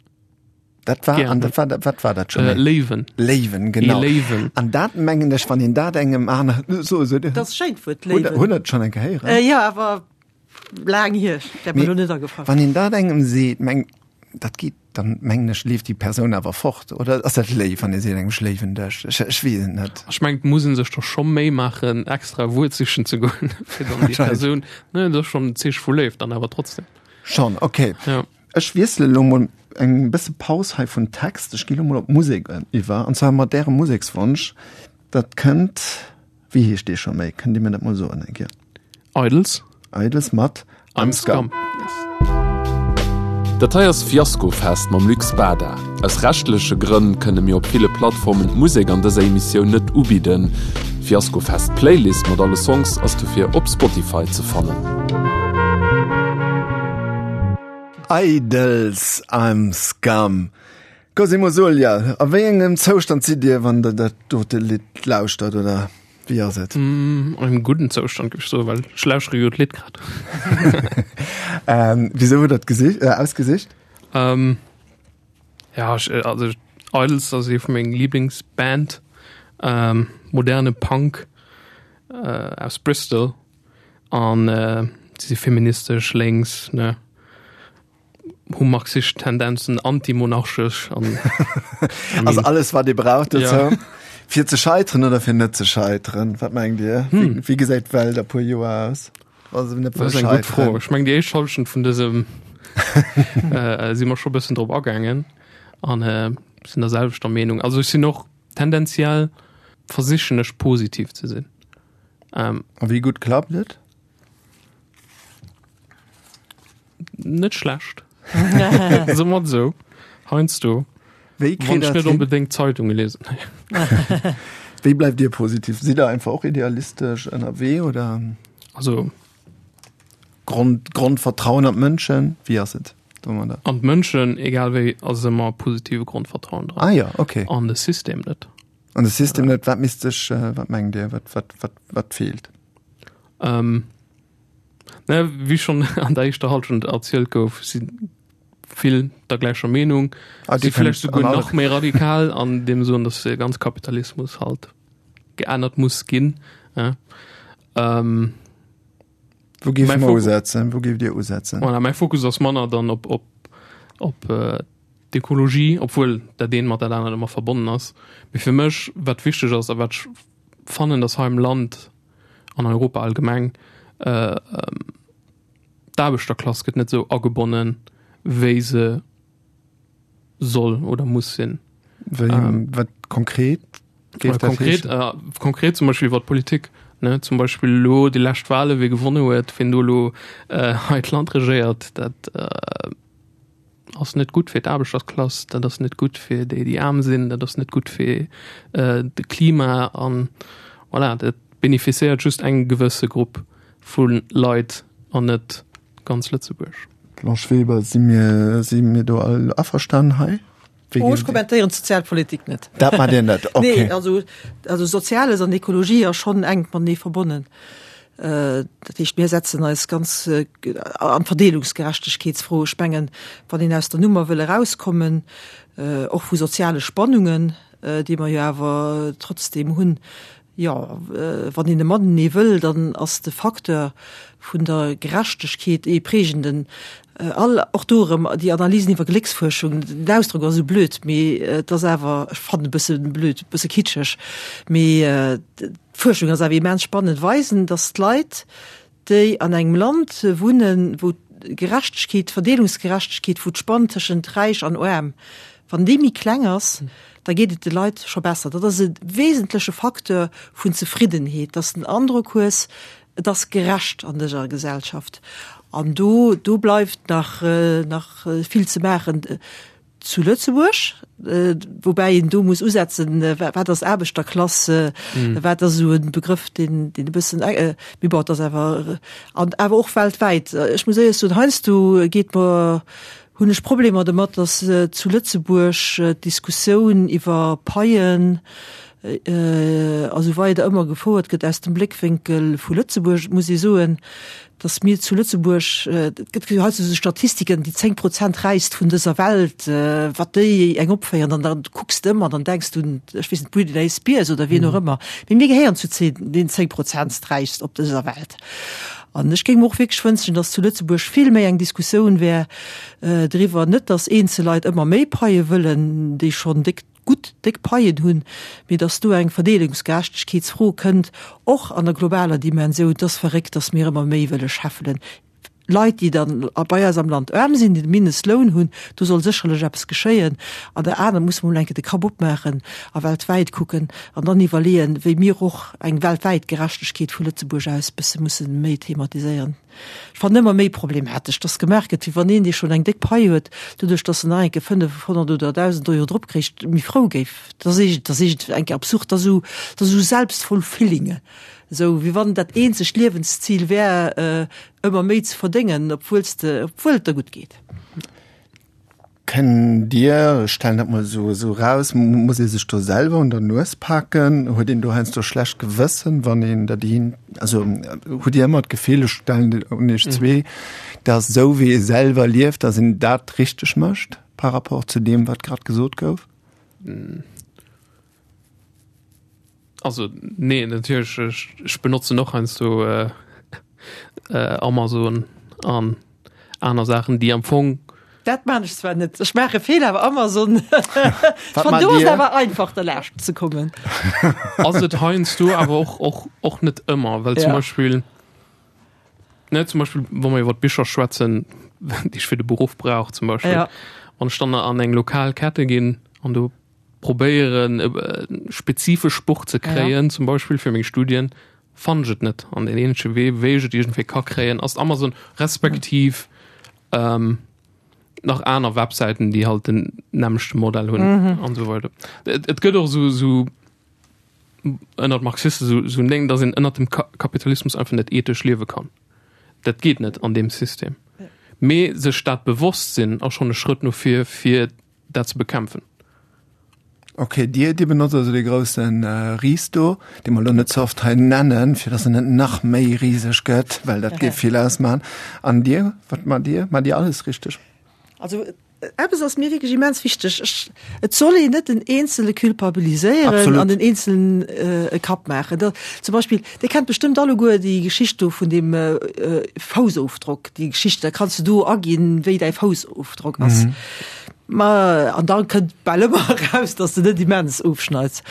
S1: Dat war, an dat war, wat war dat schon?
S4: Äh, Léiwen.
S1: Léiwen, genau.
S4: Léiwen.
S1: An dat mengen ech, wann een dat engem aner
S2: so, so, dat ass schéint Wuert, Léiwen.
S1: Hunn dat schon eng Kéier héieren?
S2: Äh, ja, awer laang hier, dat mir net agefall.
S1: Wann een dat engem seet, meng, dat geet, dann mengen ech, leeft déi Persoun awer fort, oder ass dat léif, wann ee seet engem ech léiwen dech? Ech, ech weess et net.
S4: Ech mengen, et muss ee sech da scho Méi maachen, extra e Wuert sichen ze goen, fir dann déi Persoun, ne, dat ass schon en Zeeche vu Léift dann awer trotzdem.
S1: Schon, okay.
S4: Ja.
S1: Ech wiessele lo mol eng bësse Paus hei vun Text. Ech gi lo mol op d'Musek iwwer, an zwar mat Ärem Musekswonsch. Dat kënnt, wéi heescht dee scho méi? Kënnt Dir mir dat mol soen eng Kéier?
S4: Idles.
S1: Idles mat
S4: I'm Scum.
S3: Dat hei ass Fiaskofest mam Luc Spada. Aus rechtleche Grënn kënne mir op ville Plattformen d'Musek an dëser Emissioun net ubidden. D'Fiaskofest Playlist mat alle Songs ass dofir op Spotify ze fannen.
S1: Idles, I'm Scum. Cosimo Solia, a wéi engem Zoustand sidd Dir, wann Der dat dote Lidd lauschtert, oder wéi ass et?
S4: An engem gudden Zoustand, géif ech soen, well ech lauschtere jo d'Lidd grad.
S1: Wisou hutt Der d'Gesicht, ausgesicht?
S4: Ja, ech, also Idles ass ee vu menge Liblingsband, moderne Punk aus Bristol. An si si feministesch, lénks, ne, hu marxistesch Tendenzen, antimonarchesch an.
S1: Also alles wat ee brauch dozou. Ja. Fir ze scheiteren oder fir net ze scheiteren? Wat mengt Dir? Hm. Wéi, wéi gesäit d'Welt a puer Joer aus?
S4: Wa se net wëll scheiteren? Dat ass eng gutt Fro. Ech mengen déi éischt Hallschent vun dësem äh, si mer scho bëssen drop agaangen an äh, sinn der selwechter Meenung. Also ech sinn och tendenziell versichen ech positiv ze sinn.
S1: Ähm, A wéi gutt klappt et?
S4: Net schlecht. So mat esou. Heiansdo.
S1: Wéi
S4: kritt
S1: dat
S4: net onbedéngt Zeitunge lesen.
S1: Wéi bleift Dir positiv? Sidd Der einfach och idealistesch ënnerwee oder?
S4: Also
S1: Grond, Grondvertrauen an d'Mënschen, wéi ass et
S4: domadder? An d'Mënschen, egal wéi, ass ëmmer positive Grondvertrauen
S1: dran. Ah ja, okay.
S4: An de System net.
S1: An de System net, wat misst sech, wat mengt Dir, wat, wat, wat, wat feelt?
S4: Ähm, ne, wéi schonn an der éischter Hallschent erzielt gouf, si vill der gläicher Meenung,
S1: ah,
S4: si vläicht souguer nach méi radikal an deem Sënn, dass de ganz Kapitalismus halt geännert muss ginn. Ja. Ähm,
S1: Wou géif mer usetzen? Wou géift Dir usetzen?
S4: Voilà, mäi Fokus ass manner dann op, op, op äh, d'Ökologie, obwuel dat eent mat dat anert ëmmer verbonnen ass. Mee fir mech, wat wichteg ass a wat ech fannen, dass hei am Land, an Europa allgemeng, äh, ähm, d'Aarbechterklass gëtt net esou agebonnen, wéi se soll oder muss sinn.
S1: Wéi, ähm, wat konkret
S4: géif dat konkret, äh, konkret zum Beispill iwwer d'Politik, ne? Zum Beispill elo déi lescht Wale, wie gewonnen huet, wien do elo äh, hei d'Land regéiert, dat äh, ass net gutt fir d'Aarbechterklass, dat ass net gutt fir déi, déi aarm sinn, dat ass net gutt fir äh, de Klima an voilà, dat beneficiéiert just eng gewësse Grupp vu Leit an net ganz Lëtzebuerg.
S1: Blanche Weber, Si mir, si mir do all averstanen hei?
S2: Wéi Oh, ech kommentéieren d'Sozialpolitik net.
S1: Dat maacht Dir net, okay.
S2: Nee, also, also Soziales an Ekologie ass schonn enk matenee verbonnen. Dat heescht, mir setzen eis ganz an d'Verdeelungsgerechtegkeetsfro. Ech mengen, wann een aus der Nummer wëll erauskommen, och vu soziale Spannungen, déi mer jo awer trotzdeem hunn, Jo, wann een e Matenee wëll, dann ass de Facteur vun der Gerechtegkeet ee prägenden. All, och do erëm déi Analysen iwwer Glécksfuerschung, den Ausdrock ass esou blöd, mee et ass awer, ech fannen e bësse blöd, e bësse kitscheg, mee d'Fuerschung ass awer immens spannend, weisen, datt d'Leit, déi an engem Land wunnen, wou d'Gerechtegkeet, d'Verdeelungsgerechtegkeet, wou d'Spann tëschent Räich an Aarm, wann déi méi kleng ass, da geet et de Leit scho besser. Dat ass e wesentleche Facteur vun Zefriddenheet, dass de den Androck hues, et ass gerecht an dëser Gesellschaft. An do, do bleift nach, nach vill ze maachen. Zu Lëtzebuerg, woubäi een do muss usetzen, wat ass Aarbechterklass, wat ass esou e Begrëff, deen deen e bëssen, mee bon, et ass awer, an awer och weltwäit. Ech muss éierlech soen, heiansdo geet mer, hunn ech Problemer domat, datt zu Lëtzebuerg d'Diskussioun iwwer Paien. A sou weider ëmmer gefouert gëtt aus dem Bléckwénkel vu Lëtzebuerg. Et muss ee soen, datt mir zu Lëtzebuerg, et gëtt jo heiansdo esou Statistiken, déi 10 Prozent räichst vun dëser Welt, wat déi eng opféieren, an da kucks de ëmmer, dann denks du un, ech weess net, d'Britney Spears oder wien och ëmmer. Mee mir gehéieren zu den 10 Prozent räichst op dëser Welt. An ech géing mer och wierklech wënschen, datt zu Lëtzebuerg vill méi eng Diskussioun wär driwwer, net datt eenzel Leit ëmmer méi Paie wëllen, déi schonn déck, gutt déck Paien hunn, mee datt do eng Verdeelungsgerechtegkeetsfro kënnt, och an der globaler Dimensioun. Et ass verréckt, datt mir ëmmer méi wëlle schäffelen. Leit, déi dann bei eis am Land aarm sinn, déi de Mindestloun hunn, do soll sécherlech eppes geschéien. An der aner muss mer emol eng Kéier de Kapp opmaachen a weltwäit kucken an dann iwwerleeën, wéi mir och eng weltwäit Gerechtegkeet vu Lëtzebuerg aus bësse musse méi thematiséieren. Ech fannen ëmmer méi problematesch, dass gemaach gëtt, wéi wann een, dee schonn eng déck Pai huet, doduerch, dass en nach eng Kéier 500 oder 1.000 Euro drop kricht, méi frou géif. Dat ass eegent, dat ass eegent eng Kéier absurd. Dat ass esou, dat ass esou selbstfulfilling, esou wéi wann dat eenzegt Liewenszil wär, ëmmer méi ze verdéngen, obwuel s de, obwuel et der gutt geet.
S1: Kënnt Dir, ech stellen dat mol esou esou eraus, muss ee sech do selwer un der Nues paken? Huet een do heiansdo schlecht Gewëssen, wann een dat een, also hutt Dir ëmmer d'Gefill, ech stellen un Iech zwee, datt esou wéi ee selwer lieft, datt een dat richteg mécht par rapport zu deem, wat grad gesot gouf?
S4: Also nee, natierlech, ech, ech benotzen och heiansdo äh, äh, Amazon an aner Saachen, déi am Fong.
S2: Dat maan ech zwar net. Ech maache Feeler, awer Amazon Wat do ass awer einfach derlaascht ze kommen.
S4: Ass et heiansdo, awer och, och, och net ëmmer, well zum ja. Beispill ne, zum Beispill wa mer iwwer d'Bicher schwätzen, déi ech fir de Beruff brauch zum Beispill, ja. wann ech dann an eng lokal Kette ginn an do probéieren e spezifesch Buch ze kréien, ja. zum Beispill fir meng Studien, fannen ech et net. An den eenzege Wee, wéi ech et iergendwéi ka kréien, ass Amazon respektiv ähm, nach aner Websäiten, déi halt den nämmlechte Modell hunn mhm. an so weiter. Et, et gëtt och so, so ënnert Marxisten so, so ein Ding, dass een ënnert dem Ka Kapitalismus einfach net ethesch liewe kann. Dat geet net an deem System. Ja. Mee sech dat bewosst sinn ass schon e Schrëtt no vir fir dat ze bekämpfen.
S1: Ok, Dir, Dir benotzt also dee groussen Ris do, dee mer elo net ze oft hei nennen, fir datt en net nach méi riseg gëtt, well dat géif vill ausmaachen. An Dir, wat maacht Dir? Maacht Dir alles richteg?
S2: Also eppes ass mir wierklech immens wichteg, ech, et soll een net den Eenzele culpabiliséieren an den Eenzelen e Kapp maachen. Da zum Beispill, Dir kennt bestëmmt alleguer déi Geschicht do vun deem Foussofdrock, déi Geschicht, da kanns du do aginn, wéi däi Foussofdrock ass. Ma an da kënnt bal ëmmer eraus, datt de net immens ofschneits.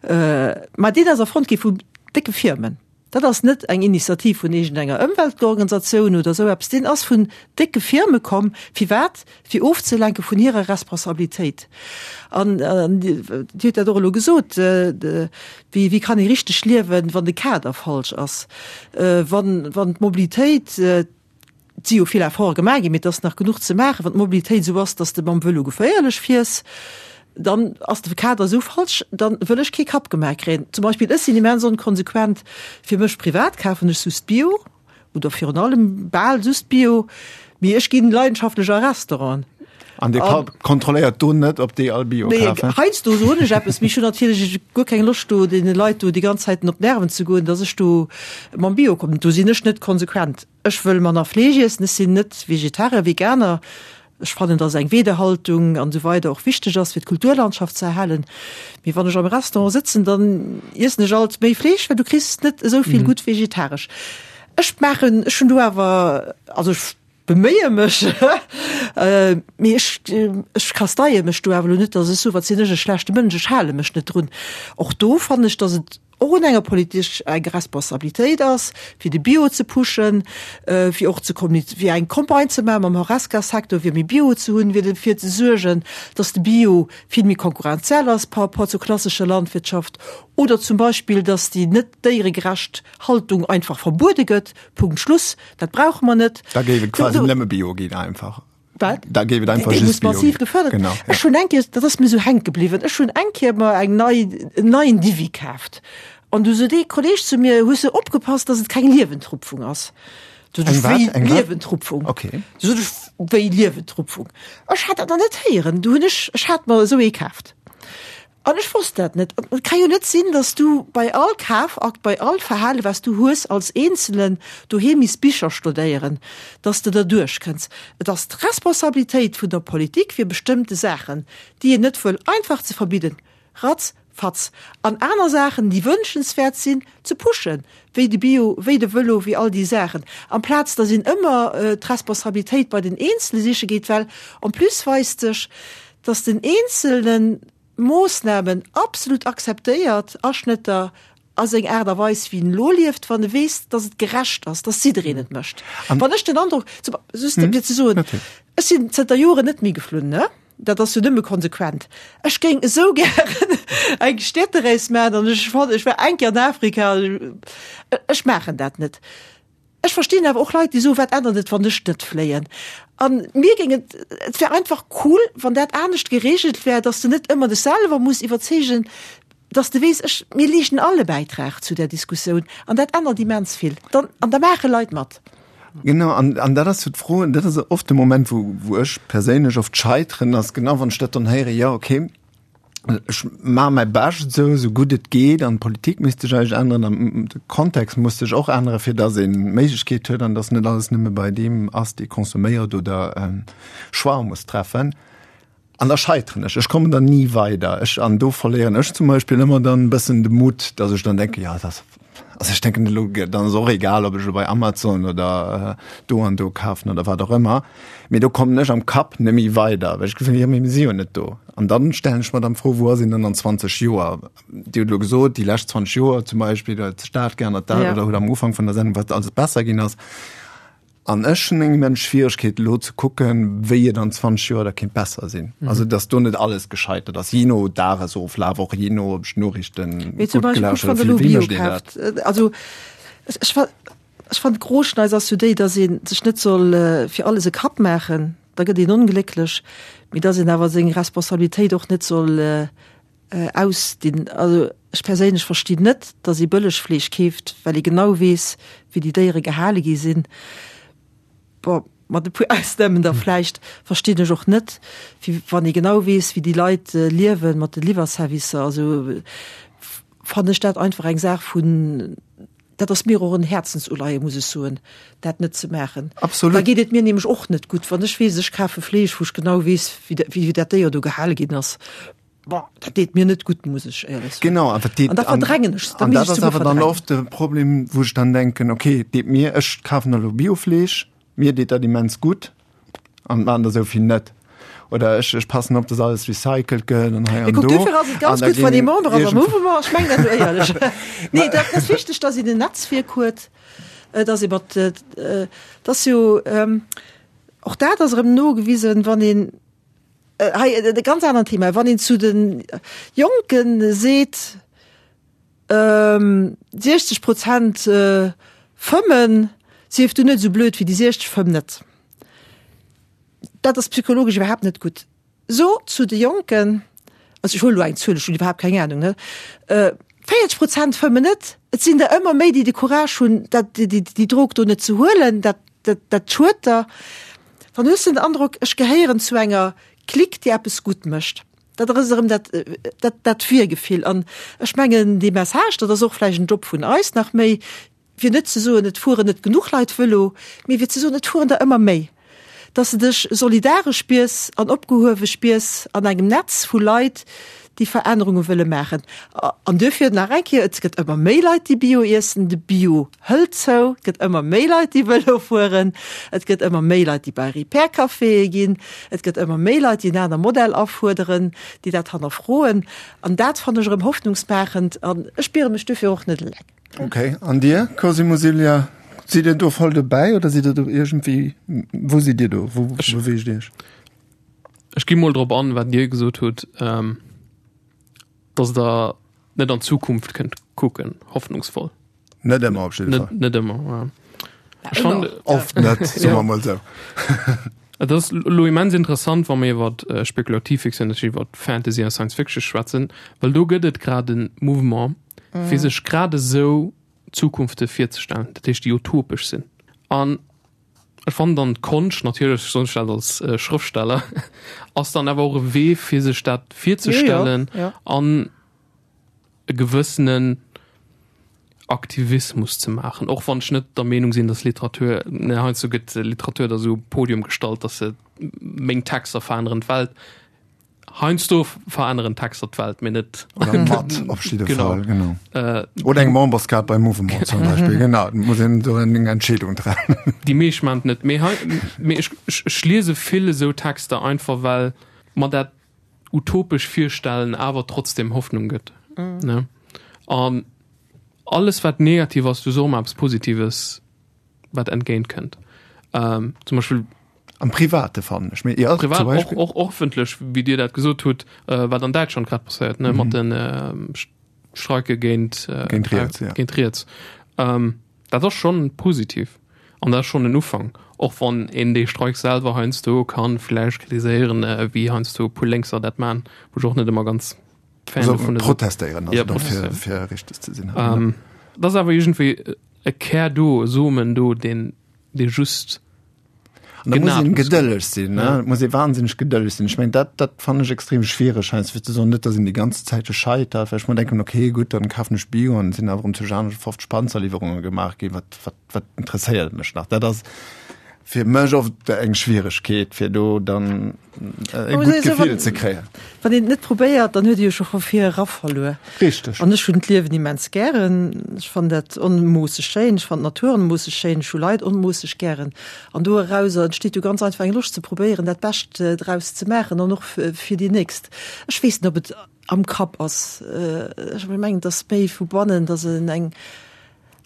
S2: Ma deen ass erfonnt gi vu décke Firmen. Dat ass net eng Initiativ vun iergendenger Ëmweltorganisatioun oder esou eppes. Deen ass vun décke Firme komm. Firwat? Fir ofzelenke vun hirer Responsabilitéit. An Dir hutt dat och elo gesot, wéi, wéi kann ee richteg liewen, wann de Kader falsch ass, wann, wann d'Mobilitéit, Et si jo vill Efforte gemaach ginn, mee et ass nach genuch ze maachen. Wann d'Mobilitéit esou ass, dass de mam Vëlo geféierlech fiers, dann ass de Kader esou falsch, da wëll ech kee Kapp gemaach kréien. Zum Beispill, ech sinn immens onkonsequent. Fir mech privat kafen ech just Bio oder virun allem bal just Bio, mee ech ginn leidenschaftlech a Restauranten.
S1: An Dir kontrolléiert do net, ob déi all Bio kafen?
S2: Nee, heiansdo soen ech eppes, mee ech hunn natierlech guer keng Loscht do deene Leit do déi ganz Zäiten op d'Nerven ze goen, dass ech do mam Bio kommen. Do sinn ech net konsequent. Ech wëll manner Fleesch iessen, ech sinn net Vegetarier, Veganer. Ech fannen, dass eng Weedehaltung an esou weider och wichteg ass, fir d'Kulturlandschaft ze erhalen. Mee wann ech am Restaurant sëtzen, dann iessen ech alt méi Fleesch, well du kriss net esou vill gutt vegetaresch. Ech maachen, ech hunn do awer, also ech beméie mech, mee ech, ech kasteie mech do awer elo net, dass ech soen, wat sinn ech e schlechte Mënsch, ech hale mech net drun. Och do fannen ech, dass et och un enger politesch eng Responsabilitéit ass, fir de Bio ze pushen, fir och ze fir eng Campagne ze maachen mam Horesca-Secteur, fir méi Bio ze hunn, fir derfir ze suergen, dass de Bio vill méi konkurrenziell ass par rapport zur klassescher Landwirtschaft, oder zum Beispill, dass déi net déieregerecht Haltung einfach verbuede gëtt, Punkt, Schluss, dat brauche mer net.
S1: Da géif et quasi nëmme Bio ginn einfach.
S2: Wat?
S1: Da géif et einfach
S2: just muss massiv gefërdert. Genau, ja. Ech hunn eng Kéier, dat ass mir sou hänke bliwwen, ech hunn eng Kéier mer eng nei, en neien Divi kaaft. An du sot ee Kolleg zu mir, hues de opgepasst, dass et keng Liewentrupfung ass? Sot ech, wéi Liewentrupfung?
S1: Okay.
S2: Sot ech, wéi Liewentrupfung? Ech hat dat nach net héieren. Du hunn ech, ech hat mer esou ee kaaft. An ech wosst dat net. An et ka jo net sinn, dass du bei all Kafakt, bei all Verhale wat s du hues als Eenzelen doheem misst Bicher stodéieren, dass de derduerch kënns. Et ass d'Responsabilitéit vun der Politik fir bestëmmte Saachen, déi een net wëll, einfach ze verbidden, ratz fatz. An aner Saachen, déi wënschenswäert sinn, ze pushen, wéi de Bio, wéi de Vëlo, wéi all déi Saachen, amplaz dass een ëmmer d'Responsabilitéit bei den Eenzele siche geet, well en plus weist sech, dass den Eenzelnen Moossnamen absolut akzeptéiert, Aschnëtter a seng Aart a Weis wéi en elo lieft, wann e weess, dass et gerecht ass, dass jiddereen et mécht. Wann ech den Androck, zum, just fir ze soen, ech sinn zënter Joren net méi geflunn, ne? Dat ass jo nëmme konsequent. Ech géing esou gären eng Städterees maachen an ech fannen, ech war eng Kéier an Afrika, ech maachen dat net. Ech verstinn awer och Leit, déi soen, wat ännert et, wann ech net fléien? A mir géing et, et wär einfach cool, wann dat anescht geregelt wär, dass de net ëmmer dech selwer muss iwwerzeegen, dass de weess, ech, mir leeschten all e Bäitrag zu där Diskussioun an dat ännert immens vill. Dann, an da maache Leit mat.
S1: Genau, an, an dat ass jo d'Fro, dat ass oft de Moment, wou, wou ech perséinlech oft scheiteren, ass genau, wann ech dat dann héieren, jo, okay, ech maache mäi Bescht esou, esou gutt et geet an d'Politik misst sech eigentlech änneren an de Kontext muss sech och änneren, fir datt een d'Méiglechkeet huet an datt net alles nëmme bei deem ass, dee consomméiert oder Choix muss treffen. An da scheiteren ech, ech kommen dann ni weider. Ech, an do verléieren ech zum Beispill ëmmer dann e bëssen de Mut, datt ech dann denken, jo, dat ass, also ech denken elo, dann ass och egal, ob ech elo bei Amazon oder do an do kafen oder wat och ëmmer. Mee do kommen ech am Kapp net méi weider, well ech d'Gefill hunn, jo, mee mir si jo net do. An dann stellen ech mer dann d'Fro, wou ass een dann an 20 Joer? Dir hutt elo gesot, déi lescht 20 Joer zum Beispill, da huet d'Stad geännert, dat, oder hutt am Ufank vun der Sendung, wat alles besser ginn ass. An ech hunn eng immens Schwieregkeet elo ze kucken, wéi et an 20 Joer da kéint besser sinn. Mhm. Also dass do net alles gescheitert ass, jee no Dagesoflaf, och jee no ob ech d'Noriichten gutt gelauschtert hunn.
S2: Wéi mécht een dat? Also ech ech fannen d'Groschneis ass jo déi, dass ee sech net soll fir alles e Kapp maachen, da gëtt een onglécklech, mee dass een awer seng Responsabilitéit och net soll ausdinn. Also ech perséinlech verstinn net, dass ee Bëllegfleesch keeft, well ee genau weess, wéi déi Déiere gehale gi sinn. Bon, mat e puer Ausnamen da vläicht, verstinn ech och net, wéi wann ee genau weess, wéi déi Leit liewen mat de Liwwerservicer. Also fannen ech dat einfach eng Saach vun, dat ass mir och en Häerzensuleie, muss ech soen, dat net ze maachen.
S1: Absolut.
S2: Da geet et mir nämlech och net gutt, wann ech weess, ech kafe Fleesch, wou ech genau weess, wéi dat Déier do gehale ginn ass. Bon, dat deet mir net gutt, muss ech éierlech soen.
S1: Genau, an dat deet,
S2: An da verdrängen ech
S1: an dat ass awer dann oft de Problem, wou ech dann denken, okay, et deet mir, ech kafen elo Biofleesch, mir deet dat immens gutt an et maachen der esou vill net. Oder ech, ech passen op, dass alles recycelt gëtt an hei
S2: an
S1: do.
S2: Kuck, duerfir ass et ganz gutt, wann ee Member ass am Mouvement, ech mengen dat elo éierlech. Nee, dat ass wichteg, dass een en Netzwierk huet, dass ee mat, et ass jo, och dat ass erëm nogewisen, wann een, Hei e ganz aneren Thema, wann een zu de Jonke seet, 60 Prozent fëmmen, sief du net esou blöd wéi déi 60, fëmm net. Dat ass psychologesch iwwerhaapt net gutt. So zu de Jonken, also ech huelen elo eng Zuel, ech hunn iwwerhaapt keng Anung, ne, 40 Prozent fëmmen net, et sinn der ëmmer méi, déi de Courage hunn, dat, déi Drog do net ze huelen, dat, dat, dat schued der. Dann hues de den Androck, ech gehéieren zu enger Clique, déi eppes gutt mécht. Dat ass erëm dat, dat, dat Wir-Gefill. An ech mengen, dee Message, dat ass och vläicht en Job vun eis nach méi, fir net ze soen, et fueren net genuch Leit Vëlo, mee fir ze soen, et fueren der ëmmer méi. Dass de dech solidaresch spiers an opgehuewe spiers an engem Netz vu Leit, déi Verännerunge wëlle maachen. An duerfir nach eng Kéier, et gëtt ëmmer méi Leit, déi Bio iessen, de Bio hëlt zou, et gëtt ëmmer méi Leit, déi Vëlo fueren, et gëtt ëmmer méi Leit, déi bei Repair Caféë ginn, et gëtt ëmmer méi Leit, déi en aner Modell afuerderen, déi dat hannerfroen. An dat fannen ech erëm hoffnungsmaachend an ech spiere mech duerfir och net eleng.
S1: Ok, an Dir, Cosimo Silja, sidd Dir do voll dobäi oder sidd Dir do iergendwéi, wou sidd Dir do, wou beweegt Dir Iech?
S4: Ech gi mol drop an, wat Dir gesot hutt, dass Der net an d'Zukunft kënnt kucken, hoffnungsvoll.
S1: Net ëmmer op jidde
S4: Fall. Net ëmmer, ja.
S1: Ech fand, Oft net, soe mer mol esou.
S4: Et ass elo immens interessant, wa mir iwwer Spekulativfiktioun, also iwwer Fantasy a Science Fiction schwätzen, well do gëtt et grad e Mouvement, fir sech grad esou Zukunfte virzestellen, dat heescht déi utopesch sinn. An. Ech fannen dann d'Konscht, natierlech soen ech dat als Schrëftsteller, ass dann awer och e Wee fir sech dat virzestellen an e gewëssenen Aktivismus ze maachen, och wann ech net der Meenung sinn, datt Literatur, ne heiansdo gëtt Literatur da sou op Podium gestallt, datt se meng Texter veränneren d'Welt. Heiansdo veränneren Texter d'Welt, mee net.
S1: Oder mat, op jidde Fall, genau. Oder eng Memberskaart beim Mouvement zum Beispill, genau, muss een do eng Entscheedung treffen.
S4: Déi meescht maachen et net, mee hei, mee ech, ech liese vill esou Texter einfach well mer dat utopesch Virstellen awer trotzdem Hoffnung gëtt, ne? An alles wat negativ ass, du so ëmmer eppes Positives wat entgéint kënnt. Ähm, zum Beispill
S1: Am Private fannen ech, mee ja,
S4: privat, zum Beispill. Och, och öffentlech, wéi Dir dat gesot hutt, äh, wat an Däitschland grad passéiert, ne, mm -hmm. mat den äh, Streike géint,
S1: äh, géint riets.
S4: Ja. Géint riets. Ähm, dat ass schon positiv an dat ass schon en Ufank, och wann een dee Streik selwer heiansdo kann vläicht kritiséieren, äh, wéi heiansdo e puer Lénkser dat man, wou ech och net ëmmer ganz
S1: Fan also, dovun protestéieren, also ja, protestéieren. Fir, fir richteg ze sinn.
S4: Ähm, dat ass awer iergendwéi e Kär do, e Somen do, deen, dee just
S1: An da muss een gedëlleg sinn, ne? Ja. Muss ee wahnsinneg gedëlleg sinn. Ech meng, dat, dat fannen ech extrem schwiereg heiansdo, fir ze soen, net, dass een déi ganz Zäit gescheitert, well ech mer denken, okay, gutt, dann kafen ech Bio an et sinn awer erëm zu Januar 50 Panzerliwwerunge gemaach ginn, wat, wat, wat interesséiert et mech nach? Dat ass fir mech oft eng Schwieregkeet, fir do dann e gutt Gefill ze kréien.
S2: Wann een et net probéiert, dann huet ee jo scho vu vir era verluer.
S1: Richteg.
S2: An ech hunn d'Liewen immens gären. Ech fannen dat onmoosseg schéin. Ech fannen d'Natur onmoosseg schéin. Ech hu Leit onmoosseg gären. An do erauser entsteet jo ganz einfach eng Loscht ze probéieren, dat Bescht draus ze maachen an och fir déi Nächst. Ech weess net, ob et am Kapp ass. Ech mengen, et ass méi vu bannen, datt een eng,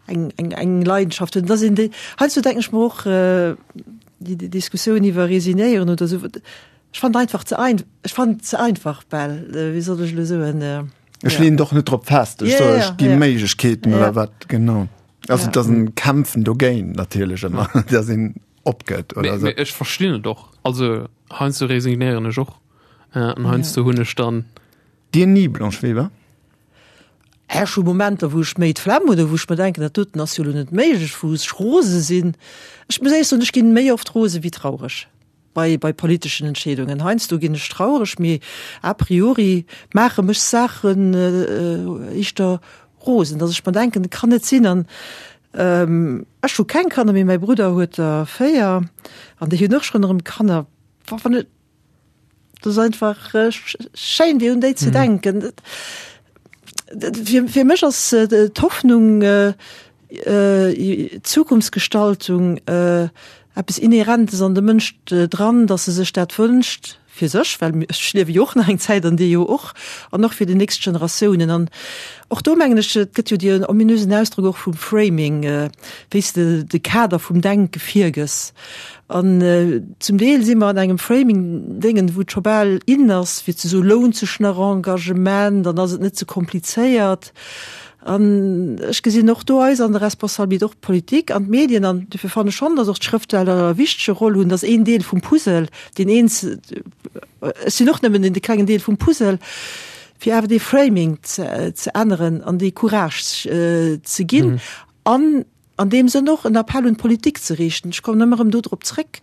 S2: eng, eng, eng Leidenschaft huet. Dass een déi, heiansdo denken ech mer och, déi, déi Diskussioun iwwer resignéieren oder esou, ech fannen einfach ze ein, ech fannen et ze einfach bal, wéi soll ech elo soen?
S1: Ech leeën et och net drop fest, ech soen, ech gi Méiglechkeeten oder wat, genau. Also et ass en Kämpfen dogéint natierlech ëmmer, dass een opgëtt oder
S4: esou. Mee ech verstinn et och, also heiansdo resignéieren ech och an heiansdo hunn ech dann.
S1: Dir ni, Blanche Weber?
S2: Ech hu Momenter, wou ech méi d'Flemm hunn, wou ech mer denken, dat doten ass jo elo net méiglech, wou ech rose sinn. Ech muss éierlech soen, ech ginn méi oft rose wéi traureg bei, bei politeschen Entscheedungen. Heiansdo ginn ech traureg, mee a priori maache mech Saachen éischter rosen, datt ech mer denken, et kann net sinn. An ech hu keng Kanner, mee mäi Brudder huet der 4 an déi hunn och schonn erëm Kanner. Wann et Dat ass einfach schéin, fir un déi ze denken. Fir, fir mech ass d'Hoffnung, d'Zukunftsgestaltung eppes Inhärentes an de Mënsch dran, datt e sech dat wënscht fir sech, well ech liewe jo och nach eng Zäit an Dir jo och, an och fir déi nächst Generatiounen. An och do mengen ech, et gëtt jo dien ominösen Ausdrock och vum Framing, wéi s de de Kader vum Denke virgëss. An zum Deel si mer an engem Framing Déngen, wou et scho bal in ass, fir ze soen, lount sech nach Engagement, dann ass et net ze komplizéiert. An ech gesinn och do eis an der Responsabilité, och d'Politik an d'Medien. An dofir fannen ech schonn, datt och d'Schrëftsteller e wichtege Roll hunn. Dat ass een Deel vum Puzzle, deen eens, ech sinn och nëmmen de klengen Deel vum Puzzle, fir awer dee Framing ze änneren an dee Courage ze ginn. An An deem Sënn och en Appell un d'Politik ze riichten. Ech kommen ëmmer erëm do drop zréck,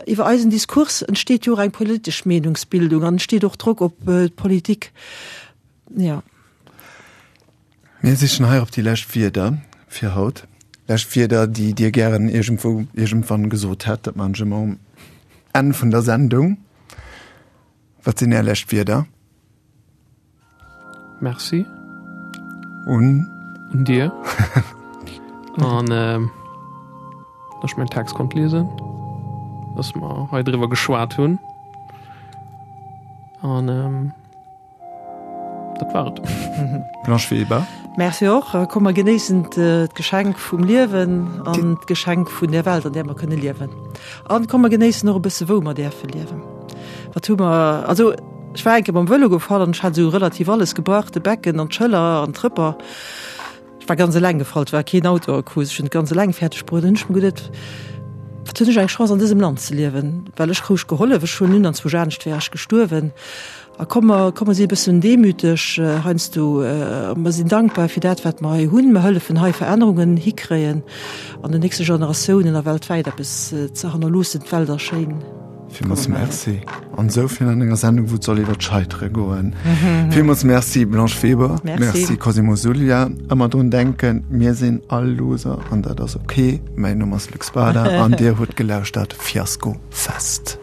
S2: Iwwer eisen Diskurs entsteet jo och eng politesch Meenungsbildung an entsteet och Drock op d'Politik. Jo.
S1: Mir sichen hei op déi lescht Wierder fir haut. Lescht Wierder, déi Dir gären iergendwou, iergendwann gesot hätt. Dat maachen ech ëmmer um Enn vun der Sendung. Wat sinn Är lescht Wierder?
S4: Merci.
S1: Un?
S4: Un dir. An ähm, dass ech mäin Text konnt liesen, dass mer hei driwwer geschwat hunn. An ähm, dat war et.
S1: Blanche Weber.
S2: Merci och. Komm mer genéissen d'Geschenk vum Liewen an d'Geschenk vun der Welt, an där mer kënne liewen. An komm mer genéissen och e bësse wou mer däerfe liewen. Wat hu mer, also ech war eng Kéier mam Vëlo gefall an ech hat esou relativ alles gebrach, de Becken an d'Schëller an d'Rëpper. Ech war ganz eleng gefall, et war keen Auto a Course, ech hunn et ganz eleng fäerdeg bruet. An hunn ech mer geduet, wat hunn ech eng Chance an dësem Land ze liewen, well ech krouch gehollef, ech hunn un an zwousch anescht wär ech gestuerwen. A komm mer, komm mer si e bëssen demüteg heiansdo. Mer sinn dankbar fir dat, wat mer hei hunn. Mer hëllefen hei Verännerungen hikréien an den nächste Generatiounen a weltwäit eppes ze hannerloossen. D'Welt ass schéin.
S1: Villmools Merci. An esou vill an enger Sendung, wou et soll iwwer d'Scheitere goen. Villmools Merci Blanche Weber.
S2: Merci.
S1: Merci Cosimo Zulia. Ëmmer drun denken, mir sinn all Loser an dat ass ok. Mäin Numm ass Luc Spada an Dir hutt gelauschtert Fiasko Fest.